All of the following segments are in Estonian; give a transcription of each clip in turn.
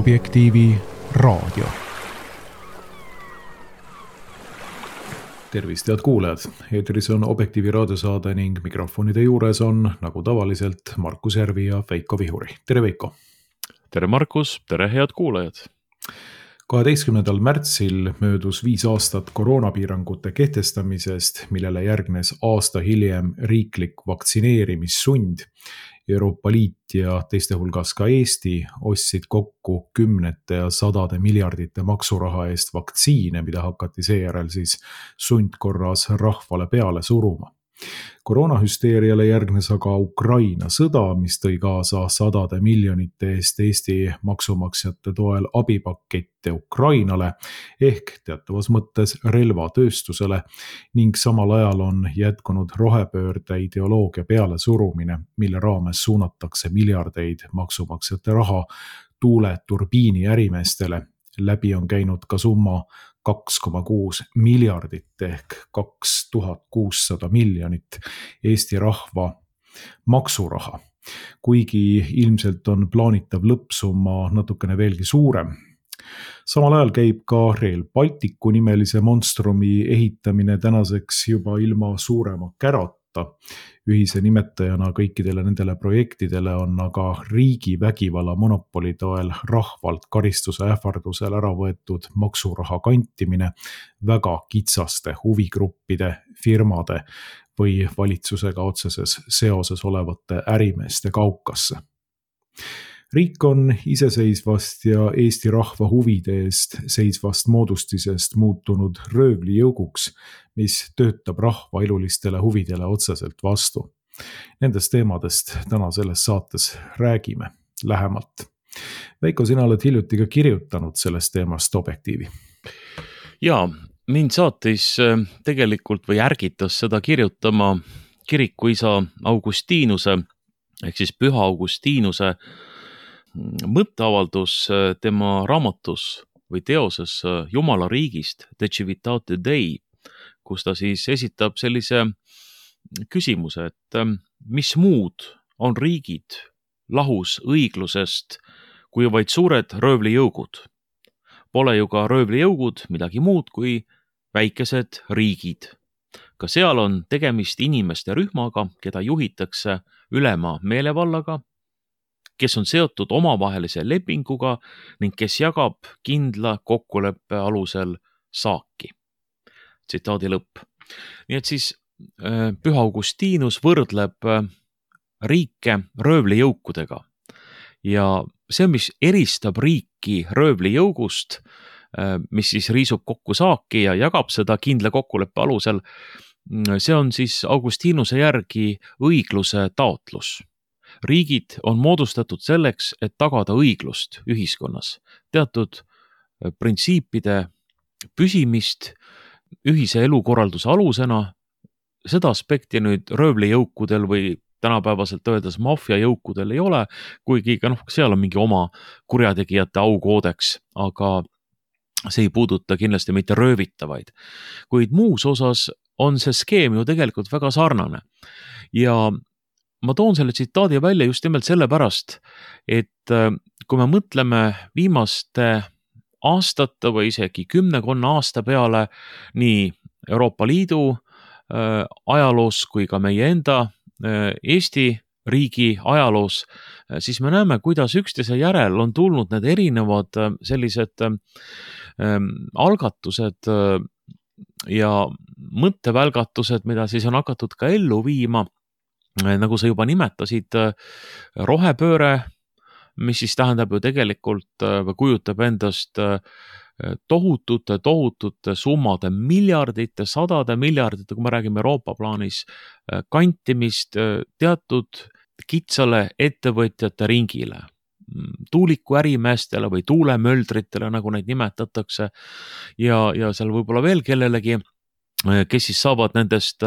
Objektiivi raadio. Tervist, head kuulajad! Eetris on Objektiivi raadiosaade ning mikrofonide juures on, nagu tavaliselt, Markus Järvi ja Veiko Vihuri. Tere, Veiko! Tere, Markus! Tere, head kuulajad! 12. märtsil möödus 5 aastat koroonapiirangute kehtestamisest, millele järgnes aasta hiljem riiklik vaktsineerimissund. Euroopa Liit ja teiste hulgas ka Eesti ostsid kokku kümnete ja sadade miljardite maksuraha eest vaktsiine, mida hakati seejärel siis sundkorras rahvale peale suruma. Koroonahüsteeriale järgnes aga Ukraina sõda, mis tõi kaasa sadade miljonite eest Eesti maksumaksjate toel abipakette Ukrainale ehk teatavas mõttes relvatööstusele ning samal ajal on jätkunud rohepöörde ideoloogia peale surumine, mille raames suunatakse miljardeid maksumaksjate raha tuuleturbiini ärimeestele. Läbi on käinud ka summa 2,6 miljardit ehk 2600 miljonit Eesti rahva maksuraha, kuigi ilmselt on plaanitav lõppsumma natukene veelgi suurem. Samal ajal käib ka Rail Balticu nimelise monstrumi ehitamine tänaseks juba ilma suurema kärata. Ühise nimetajana kõikidele nendele projektidele on aga riigi vägivalla monopoli toel rahvalt karistuse ähvardusel ära võetud maksuraha kantimine väga kitsaste huvigruppide, firmade või valitsusega otseses seoses olevate ärimeeste kaukasse. Riik on iseseisvast ja Eesti rahva huvide eest seisvast moodustisest muutunud röövlijõuguks, mis töötab rahva elulistele huvidele otseselt vastu. Nendest teemadest täna selles saates räägime lähemalt. Veiko, sina oled hiljuti ka kirjutanud sellest teemast Objektiivi. Jaa, mind saatis tegelikult või ärgitas seda kirjutama kirikuisa Augustiinuse ehk siis Püha Augustiinuse mõtteavaldus tema raamatus või teoses Jumala riigist, De Civitate Dei, kus ta siis esitab sellise küsimuse, et mis muud on riigid lahus õiglusest kui vaid suured röövlijõugud. Pole ju ka röövlijõugud midagi muud kui väikesed riigid. Ka seal on tegemist inimeste rühmaga, keda juhitakse ülema meelevallaga, kes on seotud omavahelise lepinguga ning kes jagab kindla kokkuleppe alusel saaki. Tsitaadi lõpp. Nii et siis Püha Augustiinus võrdleb riike röövlijõukudega. Ja see, mis eristab riiki röövlijõugust, mis siis riisub kokku saaki ja jagab seda kindla kokkuleppe alusel, see on siis Augustiinuse järgi õigluse taotlus. Riigid on moodustatud selleks, et tagada õiglust ühiskonnas, teatud printsiipide püsimist ühise elukorralduse alusena. Seda aspekti nüüd röövlijõukudel või tänapäevaselt öeldes maffiajõukudel ei ole, kuigi ka seal on mingi oma kurjategijate aukoodeks, aga see ei puuduta kindlasti mitte röövitavaid. Kuid muus osas on see skeem ju tegelikult väga sarnane. Ja ma toon selle tsitaadi välja just nimelt sellepärast, et kui me mõtleme viimaste aastate või isegi 10 aasta peale nii Euroopa Liidu ajaloos kui ka meie enda Eesti riigi ajaloos, siis me näeme, kuidas üksteise järel on tulnud need erinevad sellised algatused ja mõttevälgatused, mida siis on hakatud ka ellu viima. Nagu sa juba nimetasid, rohepööre, mis siis tähendab ju tegelikult või kujutab endast tohutute summade, miljardite, sadade miljardite, kui me räägime Euroopa plaanis, kantimist teatud kitsale ettevõtjate ringile, tuuliku ärimeestele või tuulemöldritele, nagu neid nimetatakse, ja seal võib-olla veel kellelegi, kes siis saavad nendest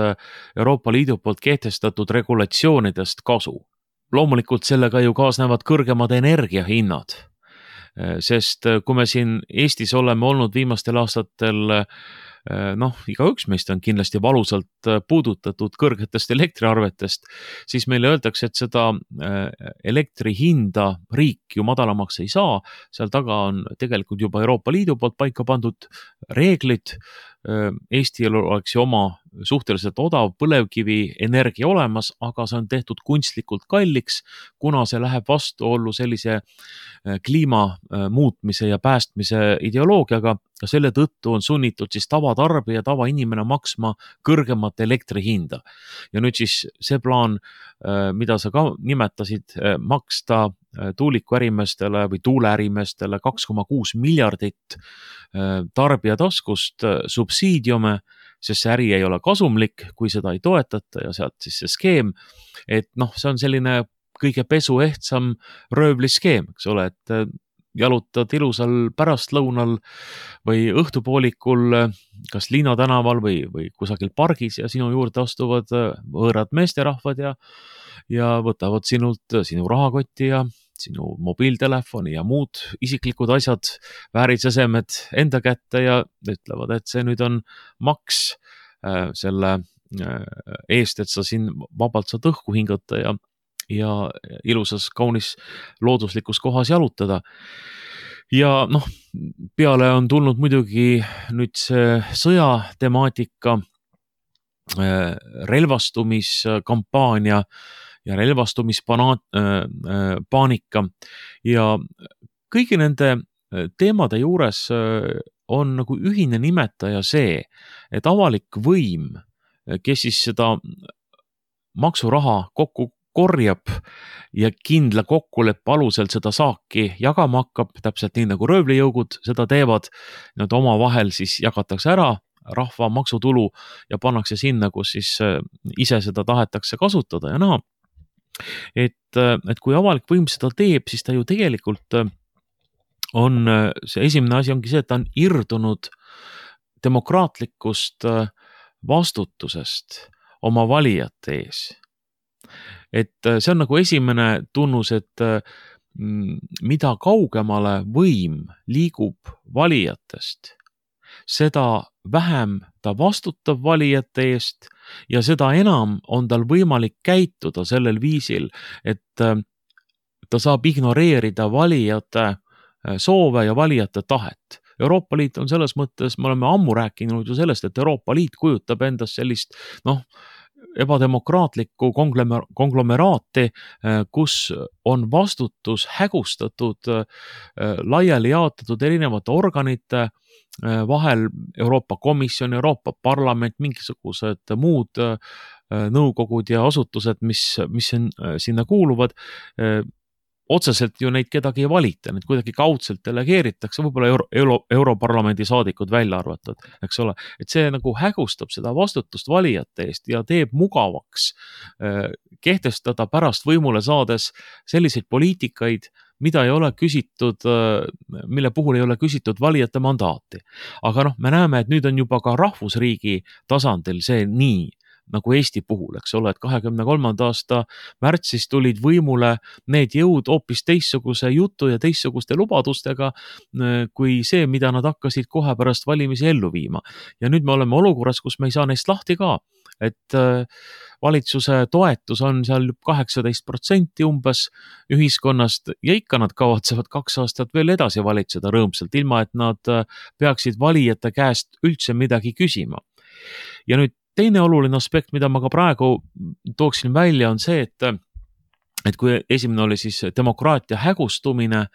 Euroopa Liidu poolt kehtestatud regulatsioonidest kasu. Loomulikult sellega ju kaasnevad kõrgemad energiahinnad, sest kui me siin Eestis oleme olnud viimastel aastatel igaüks meist on kindlasti valusalt puudutatud kõrgetest elektriarvetest, siis meile öeldakse, et seda elektri hinda riik ju madalamaks ei saa, seal taga on tegelikult juba Euroopa Liidu poolt paika pandud reeglid. Eestil oleks ju oma suhteliselt odav põlevkivi energia olemas, aga see on tehtud kunstlikult kalliks, kuna see läheb vastuollu sellise kliima muutmise ja päästmise ideoloogiaga. Ja selle tõttu on sunnitud siis tavatarbija, tavainimene maksma kõrgemat elektri hinda. Ja nüüd siis see plaan, mida sa ka nimetasid, maksta tuulikuärimeestele või tuuleärimeestele 2,6 miljardit tarbija taskust subsiidiume, sest see äri ei ole kasumlik, kui seda ei toetata ja sealt siis see skeem, et see on selline kõige pesuehtsam röövliskeem, eks ole, et jalutad ilusal pärastlõunal või õhtupoolikul kas Liina tänaval või kusagil pargis ja sinu juurde astuvad võõrad meesterahvad ja võtavad sinult sinu rahakotti ja sinu mobiiltelefoni ja muud isiklikud asjad, väärisesemed enda kätte ja ütlevad, et see nüüd on maks selle eest, et sa siin vabalt saad õhku hingata ja ilusas, kaunis looduslikus kohas jalutada. Ja peale on tulnud muidugi nüüd see sõjatemaatika, relvastumiskampaania ja relvastumispaanika ja kõigi nende teemade juures on nagu ühine nimetaja see, et avalik võim, kes siis seda maksuraha kokku korjab ja kindla kokkuleppe alusel seda saaki jagama hakkab, täpselt nii nagu röövlijõugud seda teevad, nad omavahel siis jagatakse ära rahva maksutulu ja pannakse sinna, kus siis ise seda tahetakse kasutada ja näha. Et kui avalik võim seda teeb, siis ta ju tegelikult on, see esimene asi ongi see, et ta on irdunud demokraatlikust vastutusest oma valijate ees. Et see on nagu esimene tunnus, et mida kaugemale võim liigub valijatest, seda vähem ta vastutab valijate eest ja seda enam on tal võimalik käituda sellel viisil, et ta saab ignoreerida valijate soove ja valijate tahet. Euroopa Liit on selles mõttes, me oleme ammu rääkinud ju sellest, et Euroopa Liit kujutab endast sellist ebademokraatlikku konglomeraati, kus on vastutus hägustatud, laiali jaotatud erinevate organite vahel, Euroopa Komisjon, Euroopa Parlament, mingisugused muud nõukogud ja asutused, mis sinna kuuluvad, otseselt ju neid kedagi ei valita, need kuidagi kaudselt delegeeritakse, võib-olla Europarlamendi saadikud välja arvatud, eks ole, et see nagu hägustab seda vastutust valijate eest ja teeb mugavaks kehtestada pärast võimule saades selliseid poliitikaid, mida ei ole küsitud, mille puhul ei ole küsitud valijate mandaati. Aga me näeme, et nüüd on juba ka rahvusriigi tasandil see nii, nagu Eesti puhul, eks ole, et 2023. aasta märtsis tulid võimule need jõud hoopis teistsuguse jutu ja teistsuguste lubadustega kui see, mida nad hakkasid kohe pärast valimisi ellu viima. Ja nüüd me oleme olukorras, kus me ei saa neist lahti ka, et valitsuse toetus on seal 18% umbes ühiskonnast ja ikka nad kavatsevad 2 aastat veel edasi valitseda rõõmsalt, ilma et nad peaksid valijate käest üldse midagi küsima. Ja nüüd teine oluline aspekt, mida ma ka praegu tooksin välja, on see, et kui esimene oli siis demokraatia hägustumine,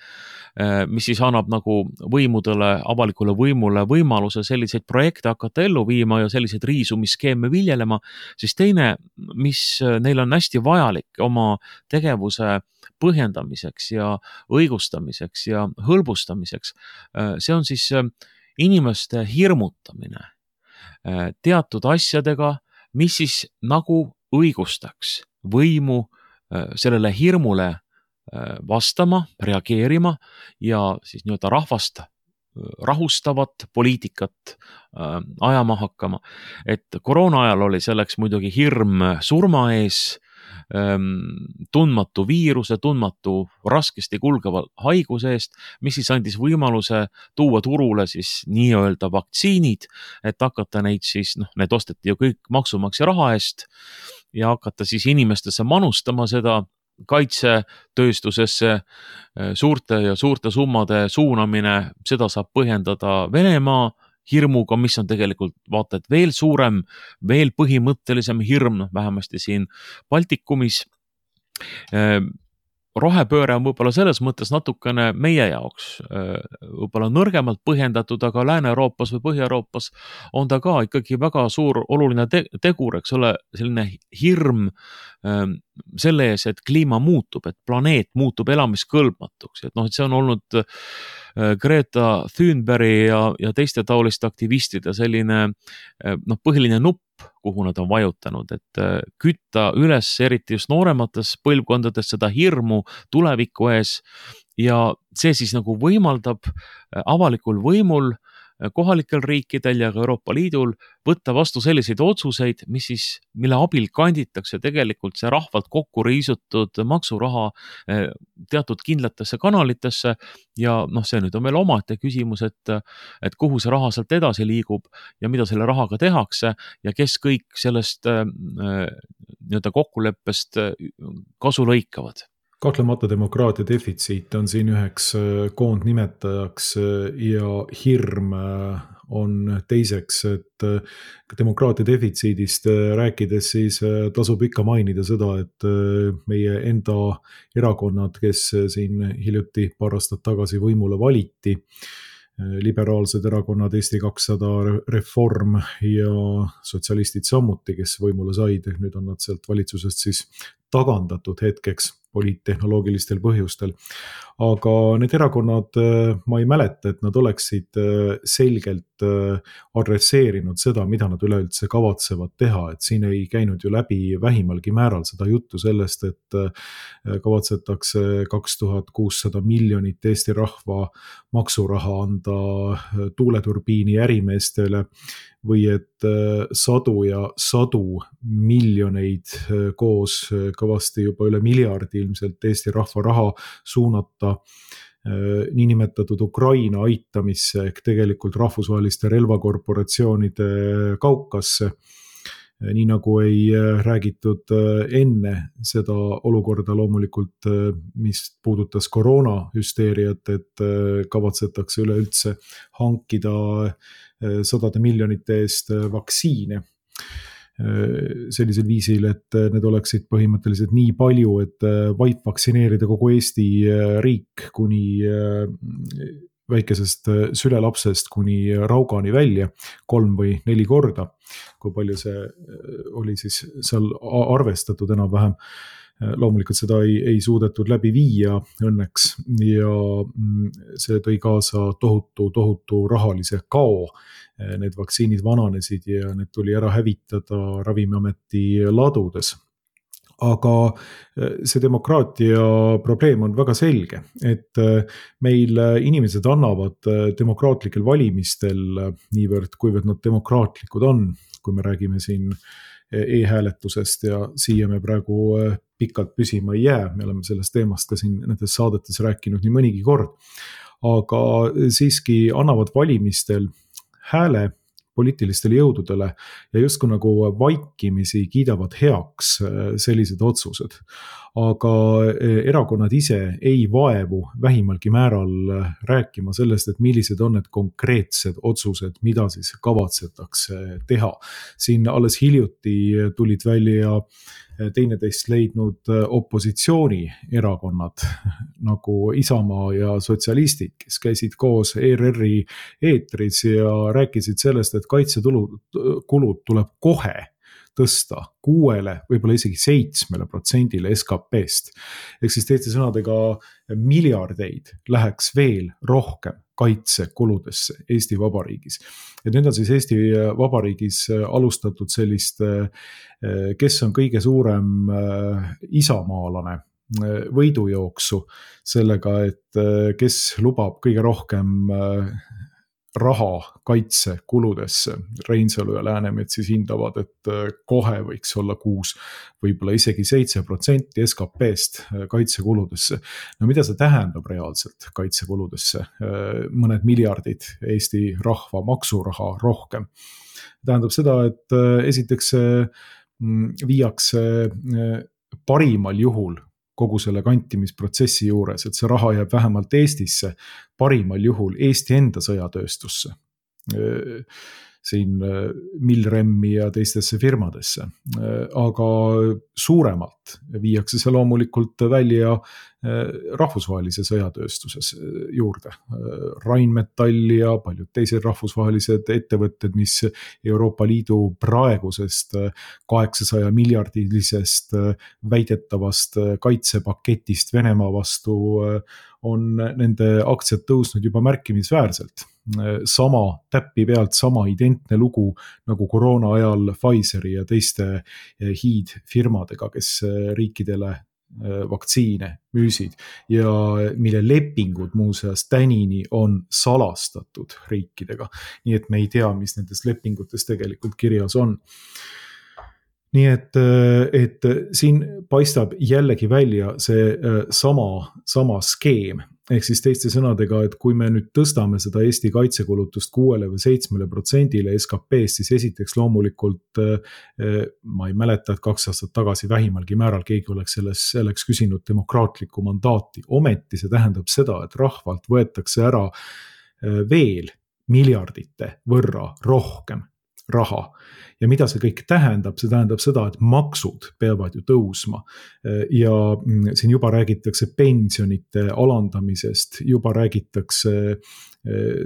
mis siis annab nagu võimudele, avalikule võimule võimaluse selliseid projekte hakata ellu viima ja selliseid riisumisskeeme viljelema, siis teine, mis neil on hästi vajalik oma tegevuse põhjendamiseks ja õigustamiseks ja hõlbustamiseks, see on siis inimeste hirmutamine teatud asjadega, mis siis nagu õigustaks võimu sellele hirmule vastama, reageerima ja siis nii-öelda rahvast rahustavat poliitikat ajama hakkama. Et koroona ajal oli selleks muidugi hirm surma ees, tundmatu viiruse, tundmatu raskesti kulgeva haiguse eest, mis siis andis võimaluse tuua turule siis nii-öelda vaktsiinid, et hakata neid siis, need osteti ju kõik maksumaksja raha eest ja hakata siis inimestesse manustama seda kaitsetööstusesse suurte summade suunamine, seda saab põhjendada Venemaa hirmuga, mis on tegelikult vaata, et veel suurem, veel põhimõttelisem hirm, vähemasti siin Baltikumis. Rohepööre on võib-olla selles mõttes natukene meie jaoks võib-olla nõrgemalt põhjendatud, aga Lääne-Euroopas või Põhja-Euroopas on ta ka ikkagi väga suur oluline tegur, eks ole, selline hirm selle ees, et kliima muutub, et planeet muutub elamiskõlbmatuks, et see on olnud Greta Thunbergi ja teiste taoliste aktivistide selline põhiline nupp, kuhu nad on vajutanud, et kütta üles eriti just nooremates põlvkondades seda hirmu tuleviku ees ja see siis nagu võimaldab avalikul võimul, kohalikel riikidel ja ka Euroopa Liidul võtta vastu selliseid otsuseid, mille abil kanditakse tegelikult see rahvalt kokku riisutud maksuraha teatud kindlatesse kanalitesse ja see nüüd on veel omaette küsimus, et kuhu see raha sealt edasi liigub ja mida selle rahaga tehakse ja kes kõik sellest nii-öelda kokkuleppest kasu lõikavad. Kahtlemata demokraatia defitsiit on siin üheks koondnimetajaks ja hirm on teiseks, et demokraatia defitsiidist rääkides siis tasub ikka mainida seda, et meie enda erakonnad, kes siin hiljuti paar aastat tagasi võimule valiti, liberaalsed erakonnad, Eesti 200, Reform ja sotsialistid samuti, kes võimule said, nüüd on nad sealt valitsusest siis tagandatud hetkeks poliittehnoloogilistel põhjustel. Aga need erakonnad, ma ei mäleta, et nad oleksid selgelt adresseerinud seda, mida nad üleüldse kavatsevad teha, et siin ei käinud ju läbi vähimalgi määral seda juttu sellest, et kavatsetakse 2600 miljonit Eesti rahva maksuraha anda tuuleturbiini ärimeestele või et sadu ja sadu miljoneid koos kõvasti juba üle miljardi ilmselt Eesti rahva raha suunata niinimetatud Ukraina aitamisse ehk tegelikult rahvusvaheliste relvakorporatsioonide kaukasse. Nii nagu ei räägitud enne seda olukorda loomulikult, mis puudutas koroonahüsteeriat, et kavatsetakse üleüldse hankida sadade miljonite eest vaktsiine sellisel viisil, et need oleksid põhimõtteliselt nii palju, et vaid vaktsineerida kogu Eesti riik kuni väikesest sülelapsest kuni Raugani välja 3 või 4 korda, kui palju see oli siis seal arvestatud enam-vähem. Loomulikult seda ei suudetud läbi viia õnneks ja see tõi kaasa tohutu rahalise kao. Need vaktsiinid vananesid ja need tuli ära hävitada Ravimiameti ladudes. Aga see demokraatia probleem on väga selge, et meil inimesed annavad demokraatlikel valimistel niivõrd, kuivõrd nad demokraatlikud on, kui me räägime siin e-hääletusest ja siia me praegu pikalt püsima ei jää, me oleme sellest teemast ka siin nendes saadetes rääkinud nii mõnigi kord, aga siiski annavad valimistel hääle poliitilistele jõududele ja justkui nagu vaikimisi kiidavad heaks sellised otsused. Aga erakonnad ise ei vaevu vähimalgi määral rääkima sellest, et millised on need konkreetsed otsused, mida siis kavatsetakse teha. Siin alles hiljuti tulid välja teineteist leidnud opositsioonierakonnad nagu Isamaa ja sotsialistid, kes käisid koos ERR-i eetris ja rääkisid sellest, et kaitsekulud tuleb kohe tõsta 6, võib-olla isegi 7% SKP-st. Ehk siis teiste sõnadega miljardeid läheks veel rohkem kaitsekuludesse Eesti Vabariigis. Ja nüüd on siis Eesti Vabariigis alustatud sellist, kes on kõige suurem isamaalane võidujooksu sellega, et kes lubab kõige rohkem raha kaitsekuludesse. Reinsalu ja Läänemets siis hindavad, et kohe võiks olla 6, võib-olla isegi 7% SKP-st kaitsekuludesse. No mida see tähendab reaalselt kaitsekuludesse? Mõned miljardid Eesti rahva maksuraha rohkem. Tähendab seda, et esiteks viiakse parimal juhul kogu selle kantimisprotsessi juures, et see raha jääb vähemalt Eestisse, parimal juhul Eesti enda sõjatööstusse, siin Milremi ja teistesse firmadesse. Aga suuremalt viiakse see loomulikult välja rahvusvahelise sõjatööstuses juurde. Rheinmetall ja paljud teised rahvusvahelised ettevõtted, mis Euroopa Liidu praegusest 800 miljardilisest väidetavast kaitsepaketist Venemaa vastu on nende aktsiad tõusnud juba märkimisväärselt. Sama täppi pealt sama identne lugu nagu koroona ajal Pfizeri ja teiste hiidfirmadega, kes riikidele vaktsiine müüsid ja mille lepingud muuseas tänini on salastatud riikidega. Nii et me ei tea, mis nendes lepingutes tegelikult kirjas on. Nii et siin paistab jällegi välja see sama skeem. Ehk siis teiste sõnadega, et kui me nüüd tõstame seda Eesti kaitsekulutust 6 või 7% SKP-st, siis esiteks loomulikult ma ei mäleta, et 2 aastat tagasi vähimalgi määral keegi oleks küsinud demokraatlikku mandaati. Ometi see tähendab seda, et rahvalt võetakse ära veel miljardite võrra rohkem raha. Ja mida see kõik tähendab? See tähendab seda, et maksud peavad ju tõusma ja siin juba räägitakse pensionite alandamisest, juba räägitakse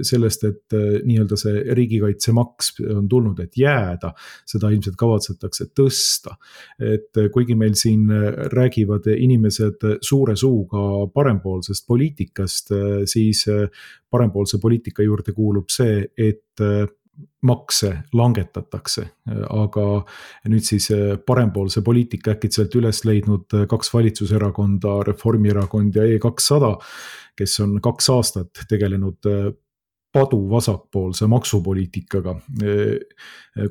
sellest, et nii-öelda see riigikaitsemaks on tulnud, et jääda, seda ilmselt kavatsetakse tõsta. Et kuigi meil siin räägivad inimesed suure suuga parempoolsest poliitikast, siis parempoolse poliitika juurde kuulub see, et makse langetatakse, aga nüüd siis parempoolse poliitika äkitselt üles leidnud 2 valitsuserakonda, Reformierakond ja E200, kes on 2 aastat tegelenud padu vasakpoolse maksupoliitikaga.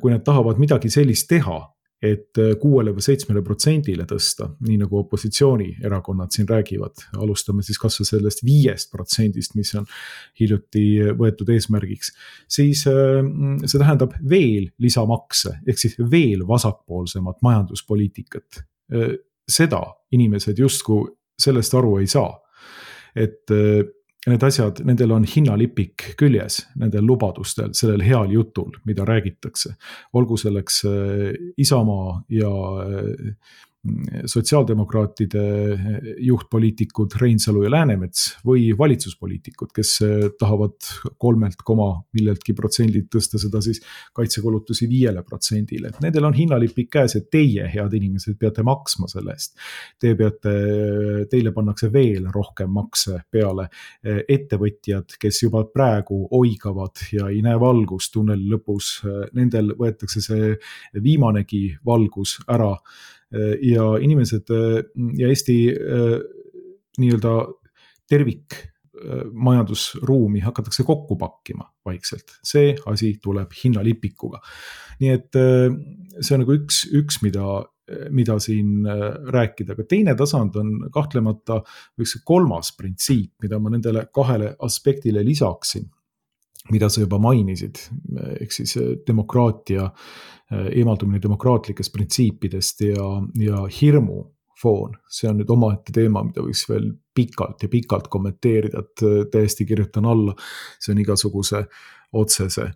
Kui nad tahavad midagi sellist teha, et 6 või 7% tõsta, nii nagu opositsioonierakonnad siin räägivad, alustame siis kas või sellest 5%, mis on hiljuti võetud eesmärgiks, siis see tähendab veel lisamakse, ehk siis veel vasakpoolsemat majanduspoliitikat. Seda inimesed justkui sellest aru ei saa, et need asjad, nendel on hinnalipik küljes, nendel lubadustel, sellel heal jutul, mida räägitakse. Olgu selleks Isamaa ja sotsiaaldemokraatide juhtpoliitikud Reinsalu ja Läänemets või valitsuspoliitikud, kes tahavad 3% tõsta seda siis kaitsekulutusi 5%. Nendel on hinnalipik käes, et teie, head inimesed, peate maksma selle eest. Teile pannakse veel rohkem makse peale. Ettevõtjad, kes juba praegu oigavad ja ei näe valgust tunneli lõpus, nendel võetakse see viimanegi valgus ära. Ja inimesed ja Eesti nii-öelda tervik majandusruumi hakatakse kokku pakkima vaikselt. See asi tuleb hinnalipikuga. Nii et see on nagu üks mida siin rääkida. Aga teine tasand on kahtlemata üks 3. printsiip, mida ma nendele 2 aspektile lisaksin, mida sa juba mainisid, ehk siis demokraatia, eemaldumine demokraatlikest printsiipidest ja hirmu foon. See on nüüd omaette teema, mida võiks veel pikalt kommenteerida, et täiesti kirjutan alla. See on igasuguse otsese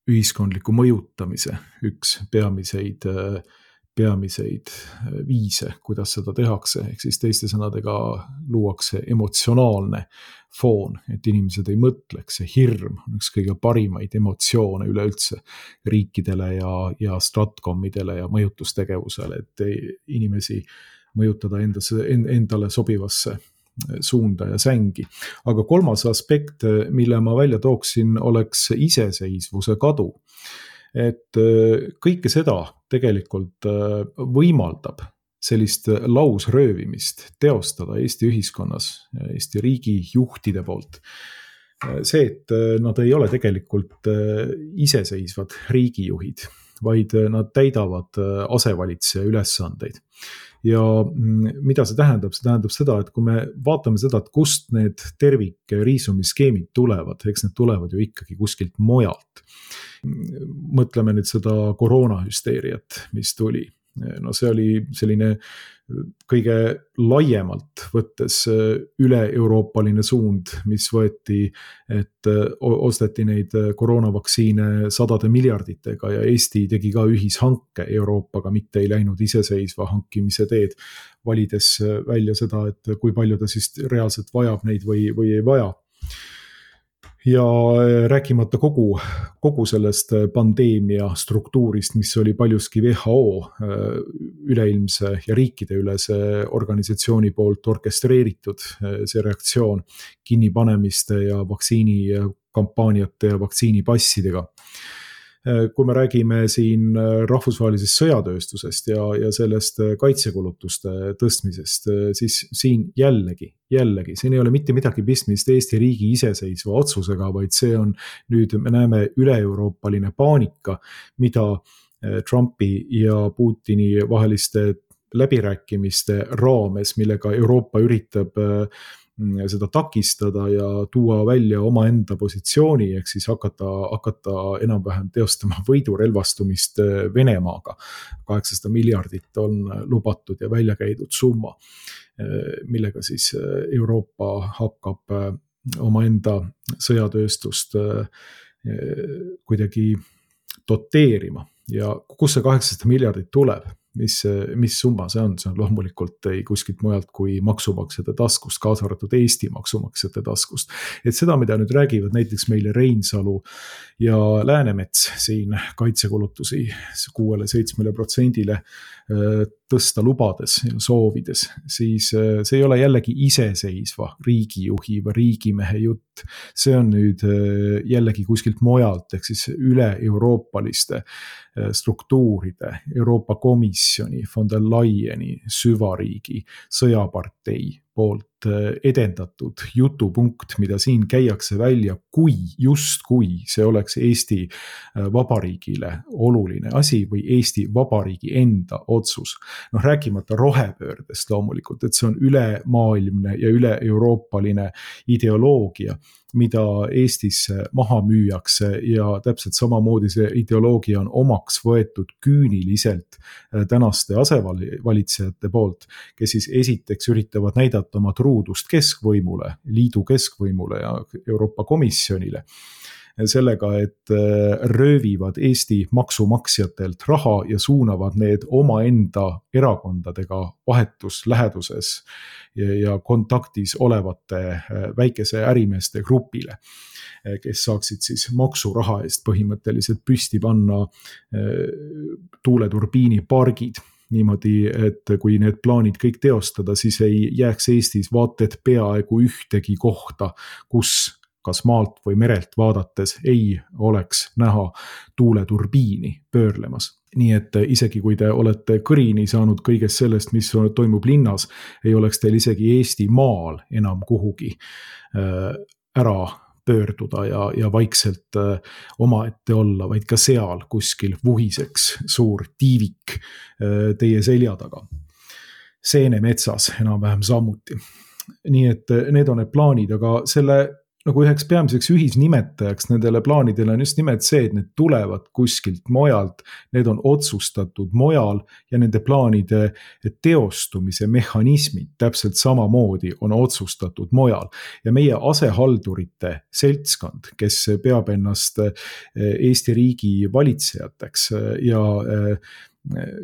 ühiskondliku mõjutamise üks peamiseid viise, kuidas seda tehakse, ehk siis teiste sõnadega luuakse emotsionaalne foon, et inimesed ei mõtleks, see hirm on üks kõige parimaid emotsioone üleüldse riikidele ja stratkommidele ja mõjutustegevusele, et inimesi mõjutada endale sobivasse suunda ja sängi. Aga 3. aspekt, mille ma välja tooksin, oleks iseseisvuse kadu. Et kõike seda tegelikult võimaldab sellist lausröövimist teostada Eesti ühiskonnas, Eesti riigi juhtide poolt see, et nad ei ole tegelikult iseseisvad riigijuhid, vaid nad täidavad asevalitseja ülesandeid. Ja mida see tähendab? See tähendab seda, et kui me vaatame seda, et kust need tervikriisumiskeemid tulevad, eks need tulevad ju ikkagi kuskilt mujalt. Mõtleme nüüd seda koroonahüsteeriat, mis tuli. No see oli selline kõige laiemalt võttes üle-euroopaline suund, mis võeti, et osteti neid koroonavaktsiine sadade miljarditega ja Eesti tegi ka ühishanke Euroopaga, mitte ei läinud iseseisva hankimise teed, valides välja seda, et kui palju ta siis reaalselt vajab neid või ei vaja. Ja rääkimata kogu sellest pandeemia struktuurist, mis oli paljuski WHO üleilmse ja riikideülese organisatsiooni poolt orkestreeritud, see reaktsioon kinnipanemiste ja vaktsiinikampaaniate ja vaktsiinipassidega. Kui me räägime siin rahvusvahelisest sõjatööstusest ja sellest kaitsekulutuste tõstmisest, siis siin jällegi, siin ei ole mitte midagi pistmist Eesti riigi iseseisva otsusega, vaid see on nüüd, me näeme üle-euroopaline paanika, mida Trumpi ja Putini vaheliste läbirääkimiste raames, millega Euroopa üritab seda takistada ja tuua välja omaenda positsiooni, ehk siis hakata enam-vähem teostama võidurelvastumist Venemaaga. 800 miljardit on lubatud ja välja käidud summa, millega siis Euroopa hakkab omaenda sõjatööstust kuidagi doteerima. Ja kus see 800 miljardit tuleb? Mis summa see on? See on loomulikult ei kuskilt mujalt kui maksumaksjate taskust, kaasa arvatud Eesti maksumaksjate taskust. Et seda, mida nüüd räägivad näiteks meile Reinsalu ja Läänemets siin kaitsekulutusi 6-7% tõsta lubades ja soovides, siis see ei ole jällegi iseseisva riigijuhi või riigimehe jutt. See on nüüd jällegi kuskilt mujalt, ehk siis üle-euroopaliste struktuuride, Euroopa Komisjoni, von der Leyeni, süvariigi, sõjapartei poolt edendatud jutupunkt, mida siin käiakse välja, kui see oleks Eesti Vabariigile oluline asi või Eesti Vabariigi enda otsus. Rääkimata rohepöördest loomulikult, et see on ülemaailmne ja üle-euroopaline ideoloogia, mida Eestis maha müüakse ja täpselt samamoodi see ideoloogia on omaks võetud küüniliselt tänaste asevalitsejate poolt, kes siis esiteks üritavad näidata oma truudust keskvõimule, liidu keskvõimule ja Euroopa Komisjonile sellega, et röövivad Eesti maksumaksjatelt raha ja suunavad need omaenda erakondadega vahetus läheduses ja kontaktis olevate väikese ärimeeste grupile, kes saaksid siis maksuraha eest põhimõtteliselt püsti panna tuuleturbiinipargid. Niimoodi, et kui need plaanid kõik teostada, siis ei jääks Eestis vaated peaaegu ühtegi kohta, kus kas maalt või merelt vaadates ei oleks näha tuuleturbiini pöörlemas. Nii et isegi kui te olete kõrini saanud kõigest sellest, mis toimub linnas, ei oleks teil isegi Eesti maal enam kuhugi ära pöörduda ja vaikselt omaette olla, vaid ka seal kuskil vuhiseks suur tiivik teie selja taga. Seenemetsas enam-vähem samuti. Nii et need on need plaanid, aga selle nagu üheks peamiseks ühisnimetajaks nendele plaanidele on just nimelt see, et need tulevad kuskilt mujalt, need on otsustatud mujal ja nende plaanide teostumise mehhanismid täpselt samamoodi on otsustatud mujal. Ja meie asehaldurite seltskond, kes peab ennast Eesti riigi valitsejateks ja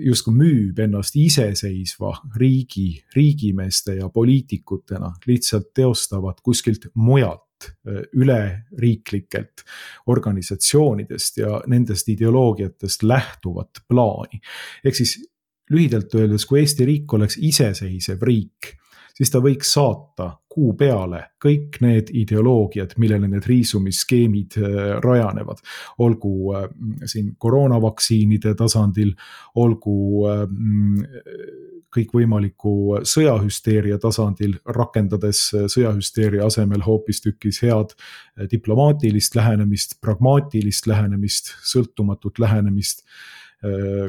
justkui müüb ennast iseseisva riigimeeste ja poliitikutena, lihtsalt teostavad kuskilt mujalt üleriiklikelt organisatsioonidest ja nendest ideoloogiatest lähtuvat plaani. Ehk siis lühidalt öeldes, kui Eesti riik oleks iseseisev riik, siis ta võiks saata kuu peale kõik need ideoloogiad, millele need riisumisskeemid rajanevad. Olgu siin koroonavaktsiinide tasandil, olgu kõikvõimaliku sõjahüsteeria tasandil, rakendades sõjahüsteeria asemel hoopistükkis head diplomaatilist lähenemist, pragmaatilist lähenemist, sõltumatut lähenemist,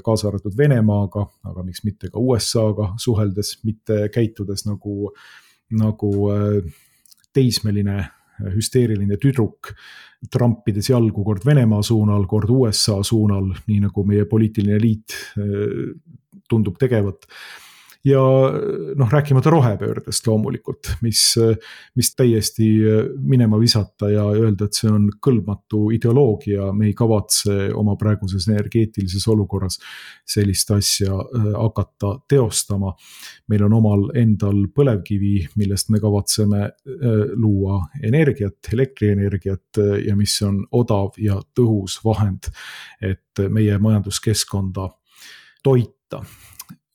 kaasa arvatud Venemaaga, aga miks mitte ka USA-ga suheldes, mitte käitudes nagu teismeline hüsteeriline tüdruk, trampides jalgu kord Venemaa suunal, kord USA suunal, nii nagu meie poliitiline eliit tundub tegevat. Ja rääkimata rohepöördest loomulikult, mis täiesti minema visata ja öelda, et see on kõlbmatu ideoloogia, me ei kavatse oma praeguses energeetilises olukorras sellist asja hakata teostama. Meil on omal endal põlevkivi, millest me kavatseme luua energiat, elektrienergiat ja mis on odav ja tõhus vahend, et meie majanduskeskkonda toita.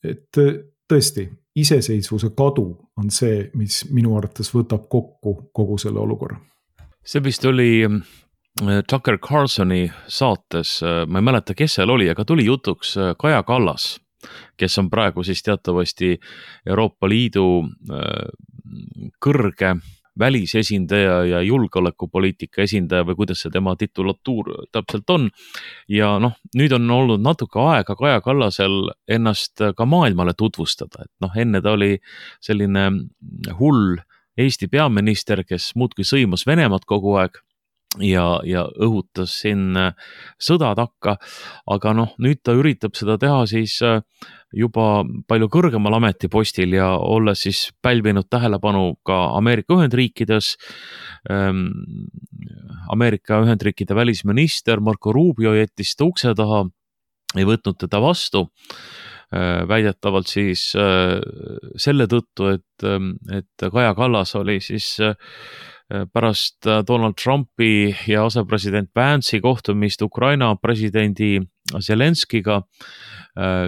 Et tõesti, iseseisvuse kadu on see, mis minu arvates võtab kokku kogu selle olukorra. See vist oli Tucker Carlsoni saates, ma ei mäleta, kes seal oli, aga tuli jutuks Kaja Kallas, kes on praegu siis teatavasti Euroopa Liidu kõrge välisesindaja ja julgeolekupoliitika esindaja või kuidas see tema titulatuur täpselt on. Ja nüüd on olnud natuke aega Kaja Kallasel ennast ka maailmale tutvustada. Et enne ta oli selline hull Eesti peaminister, kes muudkui sõimas Venemaad kogu aeg ja õhutas siin sõda takka, aga nüüd ta üritab seda teha siis juba palju kõrgemal ametipostil ja olles siis pälvinud tähelepanu ka Ameerika Ühendriikides. Ameerika Ühendriikide välisminister Marco Rubio jättis ta ukse taha, ei võtnud teda vastu, väidetavalt siis selle tõttu, et Kaja Kallas oli siis pärast Donald Trumpi ja asepresident Vance'i kohtumist Ukraina presidendi Zelenskiga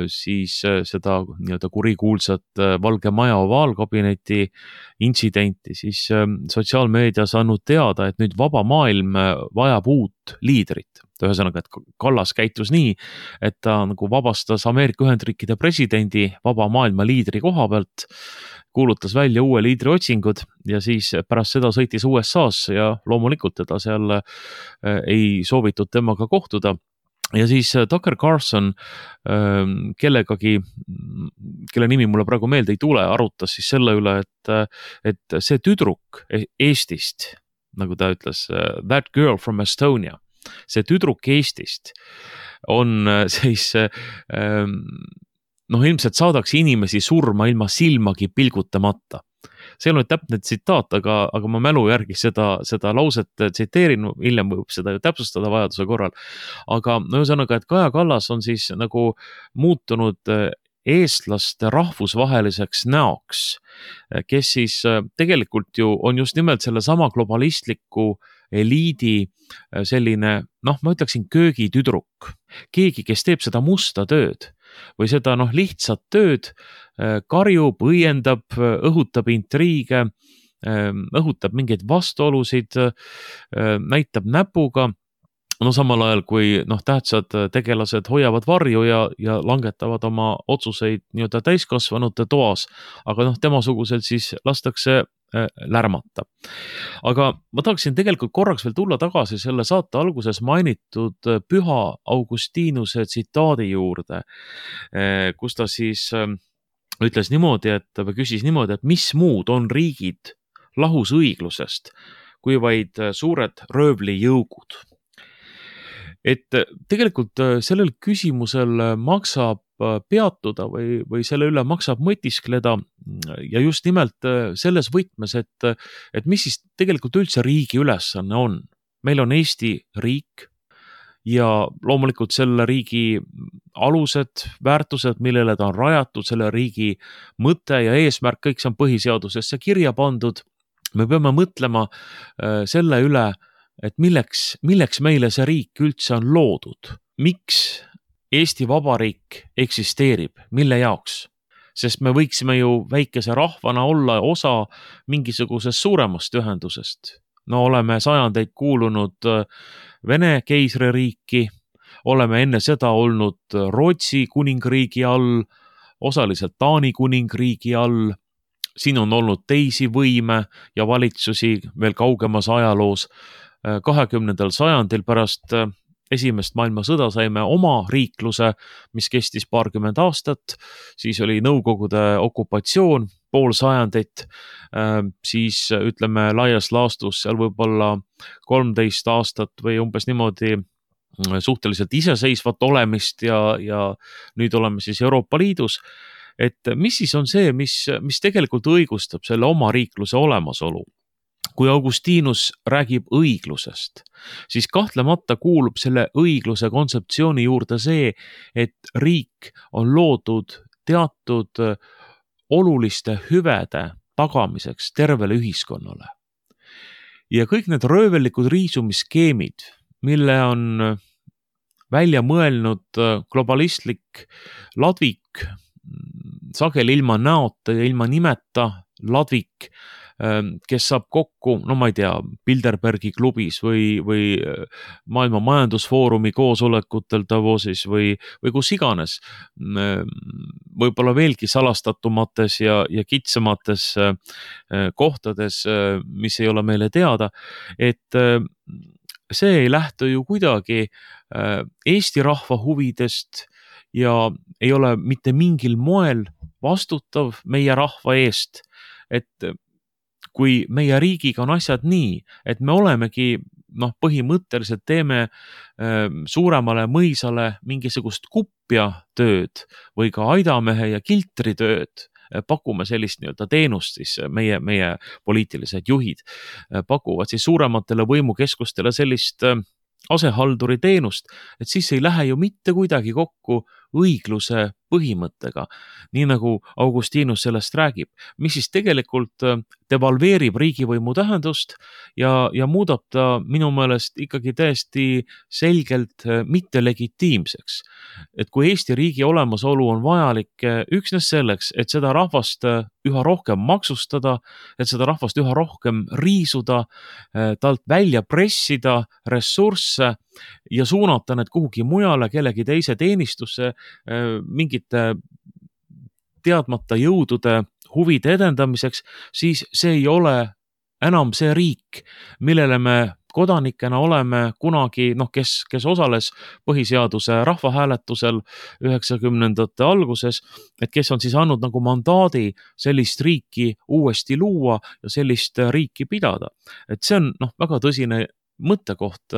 siis seda nii-öelda kurikuulsat Valge Maja ovaalkabineti intsidenti siis sotsiaalmeedias andnud teada, et nüüd vaba maailm vajab uut liidrit. Ühesõnaga, et Kallas käitus nii, et ta nagu vabastas Ameerika Ühendriikide presidendi vaba maailma liidri koha pealt, kuulutas välja uue liidri otsingud ja siis pärast seda sõitis USA-sse ja loomulikult teda seal ei soovitud temaga kohtuda. Ja siis Tucker Carlson kellegagi, kelle nimi mulle praegu meelde ei tule, arutas siis selle üle, et see tüdruk Eestist, nagu ta ütles, that girl from Estonia, see tüdruk Eestist on siis, ilmselt saadaks inimesi surma ilma silmagi pilgutamata. See on täpne tsitaat, aga ma mälu järgi seda lauset tsiteerin, hiljem võib seda ju täpsustada vajaduse korral. Aga ühesõnaga, et Kaja Kallas on siis nagu muutunud eestlaste rahvusvaheliseks näoks, kes siis tegelikult ju on just nimelt selle sama globalistliku eliidi selline, ma ütleksin köögitüdruk. Keegi, kes teeb seda musta tööd või seda lihtsat tööd, karjub, õiendab, õhutab intriige, õhutab mingeid vastuolusid, näitab näpuga, samal ajal kui tähtsad tegelased hoiavad varju ja langetavad oma otsuseid nii-öelda täiskasvanute toas, aga temasugusel siis lastakse lärmata. Aga ma tahaksin tegelikult korraks veel tulla tagasi selle saate alguses mainitud Püha Augustinuse tsitaadi juurde, kus ta siis ütles niimoodi, või küsis niimoodi, et mis muud on riigid lahus õiglusest, kui vaid suured röövlijõugud. Et tegelikult sellel küsimusel maksab peatuda või selle üle maksab mõtiskleda ja just nimelt selles võtmes, et mis siis tegelikult üldse riigi ülesanne on. Meil on Eesti riik ja loomulikult selle riigi alused, väärtused, millele ta on rajatud, selle riigi mõte ja eesmärk, kõik see on põhiseadusesse kirja pandud. Me peame mõtlema selle üle, et milleks meile see riik üldse on loodud, miks Eesti Vabariik eksisteerib, mille jaoks. sest me võiksime ju väikese rahvana olla osa mingisugusest suuremast ühendusest. No oleme sajandeid kuulunud Vene keisririiki, oleme enne seda olnud Rootsi kuningriigi all, osaliselt Taani kuningriigi all, siin on olnud teisi võime ja valitsusi veel kaugemas ajaloos. 20. sajandil pärast Esimest maailmasõda saime oma riikluse, mis kestis paarkümmend aastat, siis oli Nõukogude okupatsioon, pool sajandit, siis ütleme laias laastus seal võib-olla 13 aastat või umbes niimoodi suhteliselt iseseisvat olemist ja nüüd oleme siis Euroopa Liidus. Et mis siis on see, mis tegelikult õigustab selle oma riikluse olemasolu? Kui Augustinus räägib õiglusest, siis kahtlemata kuulub selle õigluse kontseptsiooni juurde see, et riik on loodud teatud oluliste hüvede tagamiseks tervele ühiskonnale. Ja kõik need röövellikud riisumiskeemid, mille on välja mõelnud globalistlik ladvik, sageli ilma näota ja ilma nimeta ladvik, kes saab kokku, no ma ei tea, Bilderbergi klubis või Maailma Majandusfoorumi koosolekutel Davosis või kus iganes, võib-olla veelgi salastatumates ja kitsamates kohtades, mis ei ole meile teada, et see ei lähtu ju kuidagi Eesti rahva huvidest ja ei ole mitte mingil moel vastutav meie rahva eest, et kui meie riigiga on asjad nii, et me olemegi, põhimõtteliselt teeme suuremale mõisale mingisugust kupja tööd või ka aidamehe ja kiltri tööd, pakume sellist nii-öelda teenust, siis meie poliitilised juhid pakuvad siis suurematele võimukeskustele sellist asehalduri teenust, et siis ei lähe ju mitte kuidagi kokku õigluse põhimõttega, nii nagu Augustinus sellest räägib, mis siis tegelikult devalveerib riigivõimu tähendust ja muudab ta minu meelest ikkagi täiesti selgelt mitte legitiimseks. Et kui Eesti riigi olemasolu on vajalik üksnes selleks, et seda rahvast üha rohkem maksustada, et seda rahvast üha rohkem riisuda, talt välja pressida ressursse ja suunata need kuhugi mujale kellegi teise teenistusse mingite teadmata jõudude huvide edendamiseks, siis see ei ole enam see riik, millele me kodanikena oleme kunagi, kes osales põhiseaduse rahvahääletusel 90ndate alguses, et kes on siis andnud nagu mandaadi sellist riiki uuesti luua ja sellist riiki pidada. Et see on väga tõsine mõttekoht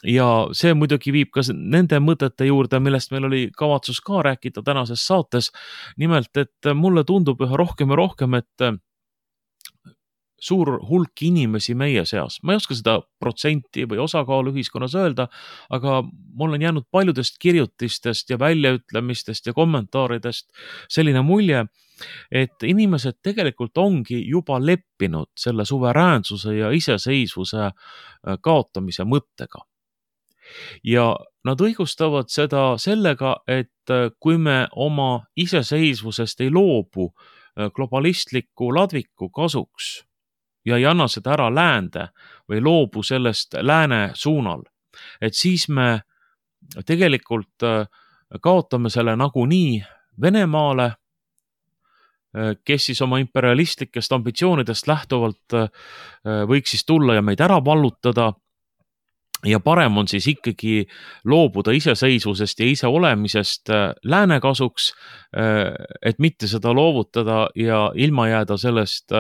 ja see muidugi viib ka nende mõtete juurde, millest meil oli kavatsus ka rääkida tänases saates. Nimelt, et mulle tundub üha rohkem ja rohkem, et suur hulk inimesi meie seas, ma ei oska seda protsenti või osakaalu ühiskonnas öelda, aga mul on jäänud paljudest kirjutistest ja väljaütlemistest ja kommentaaridest selline mulje, et inimesed tegelikult ongi juba leppinud selle suveräänsuse ja iseseisvuse kaotamise mõttega. Ja nad õigustavad seda sellega, et kui me oma iseseisvusest ei loobu globalistliku ladviku kasuks ja ei anna seda ära läände või loobu sellest lääne suunal, et siis me tegelikult kaotame selle nagunii Venemaale, kes siis oma imperialistlikest ambitsioonidest lähtuvalt võiks siis tulla ja meid ära vallutada ja parem on siis ikkagi loobuda iseseisvusest ja ise olemisest lääne kasuks, et mitte seda loovutada ja ilma jääda sellest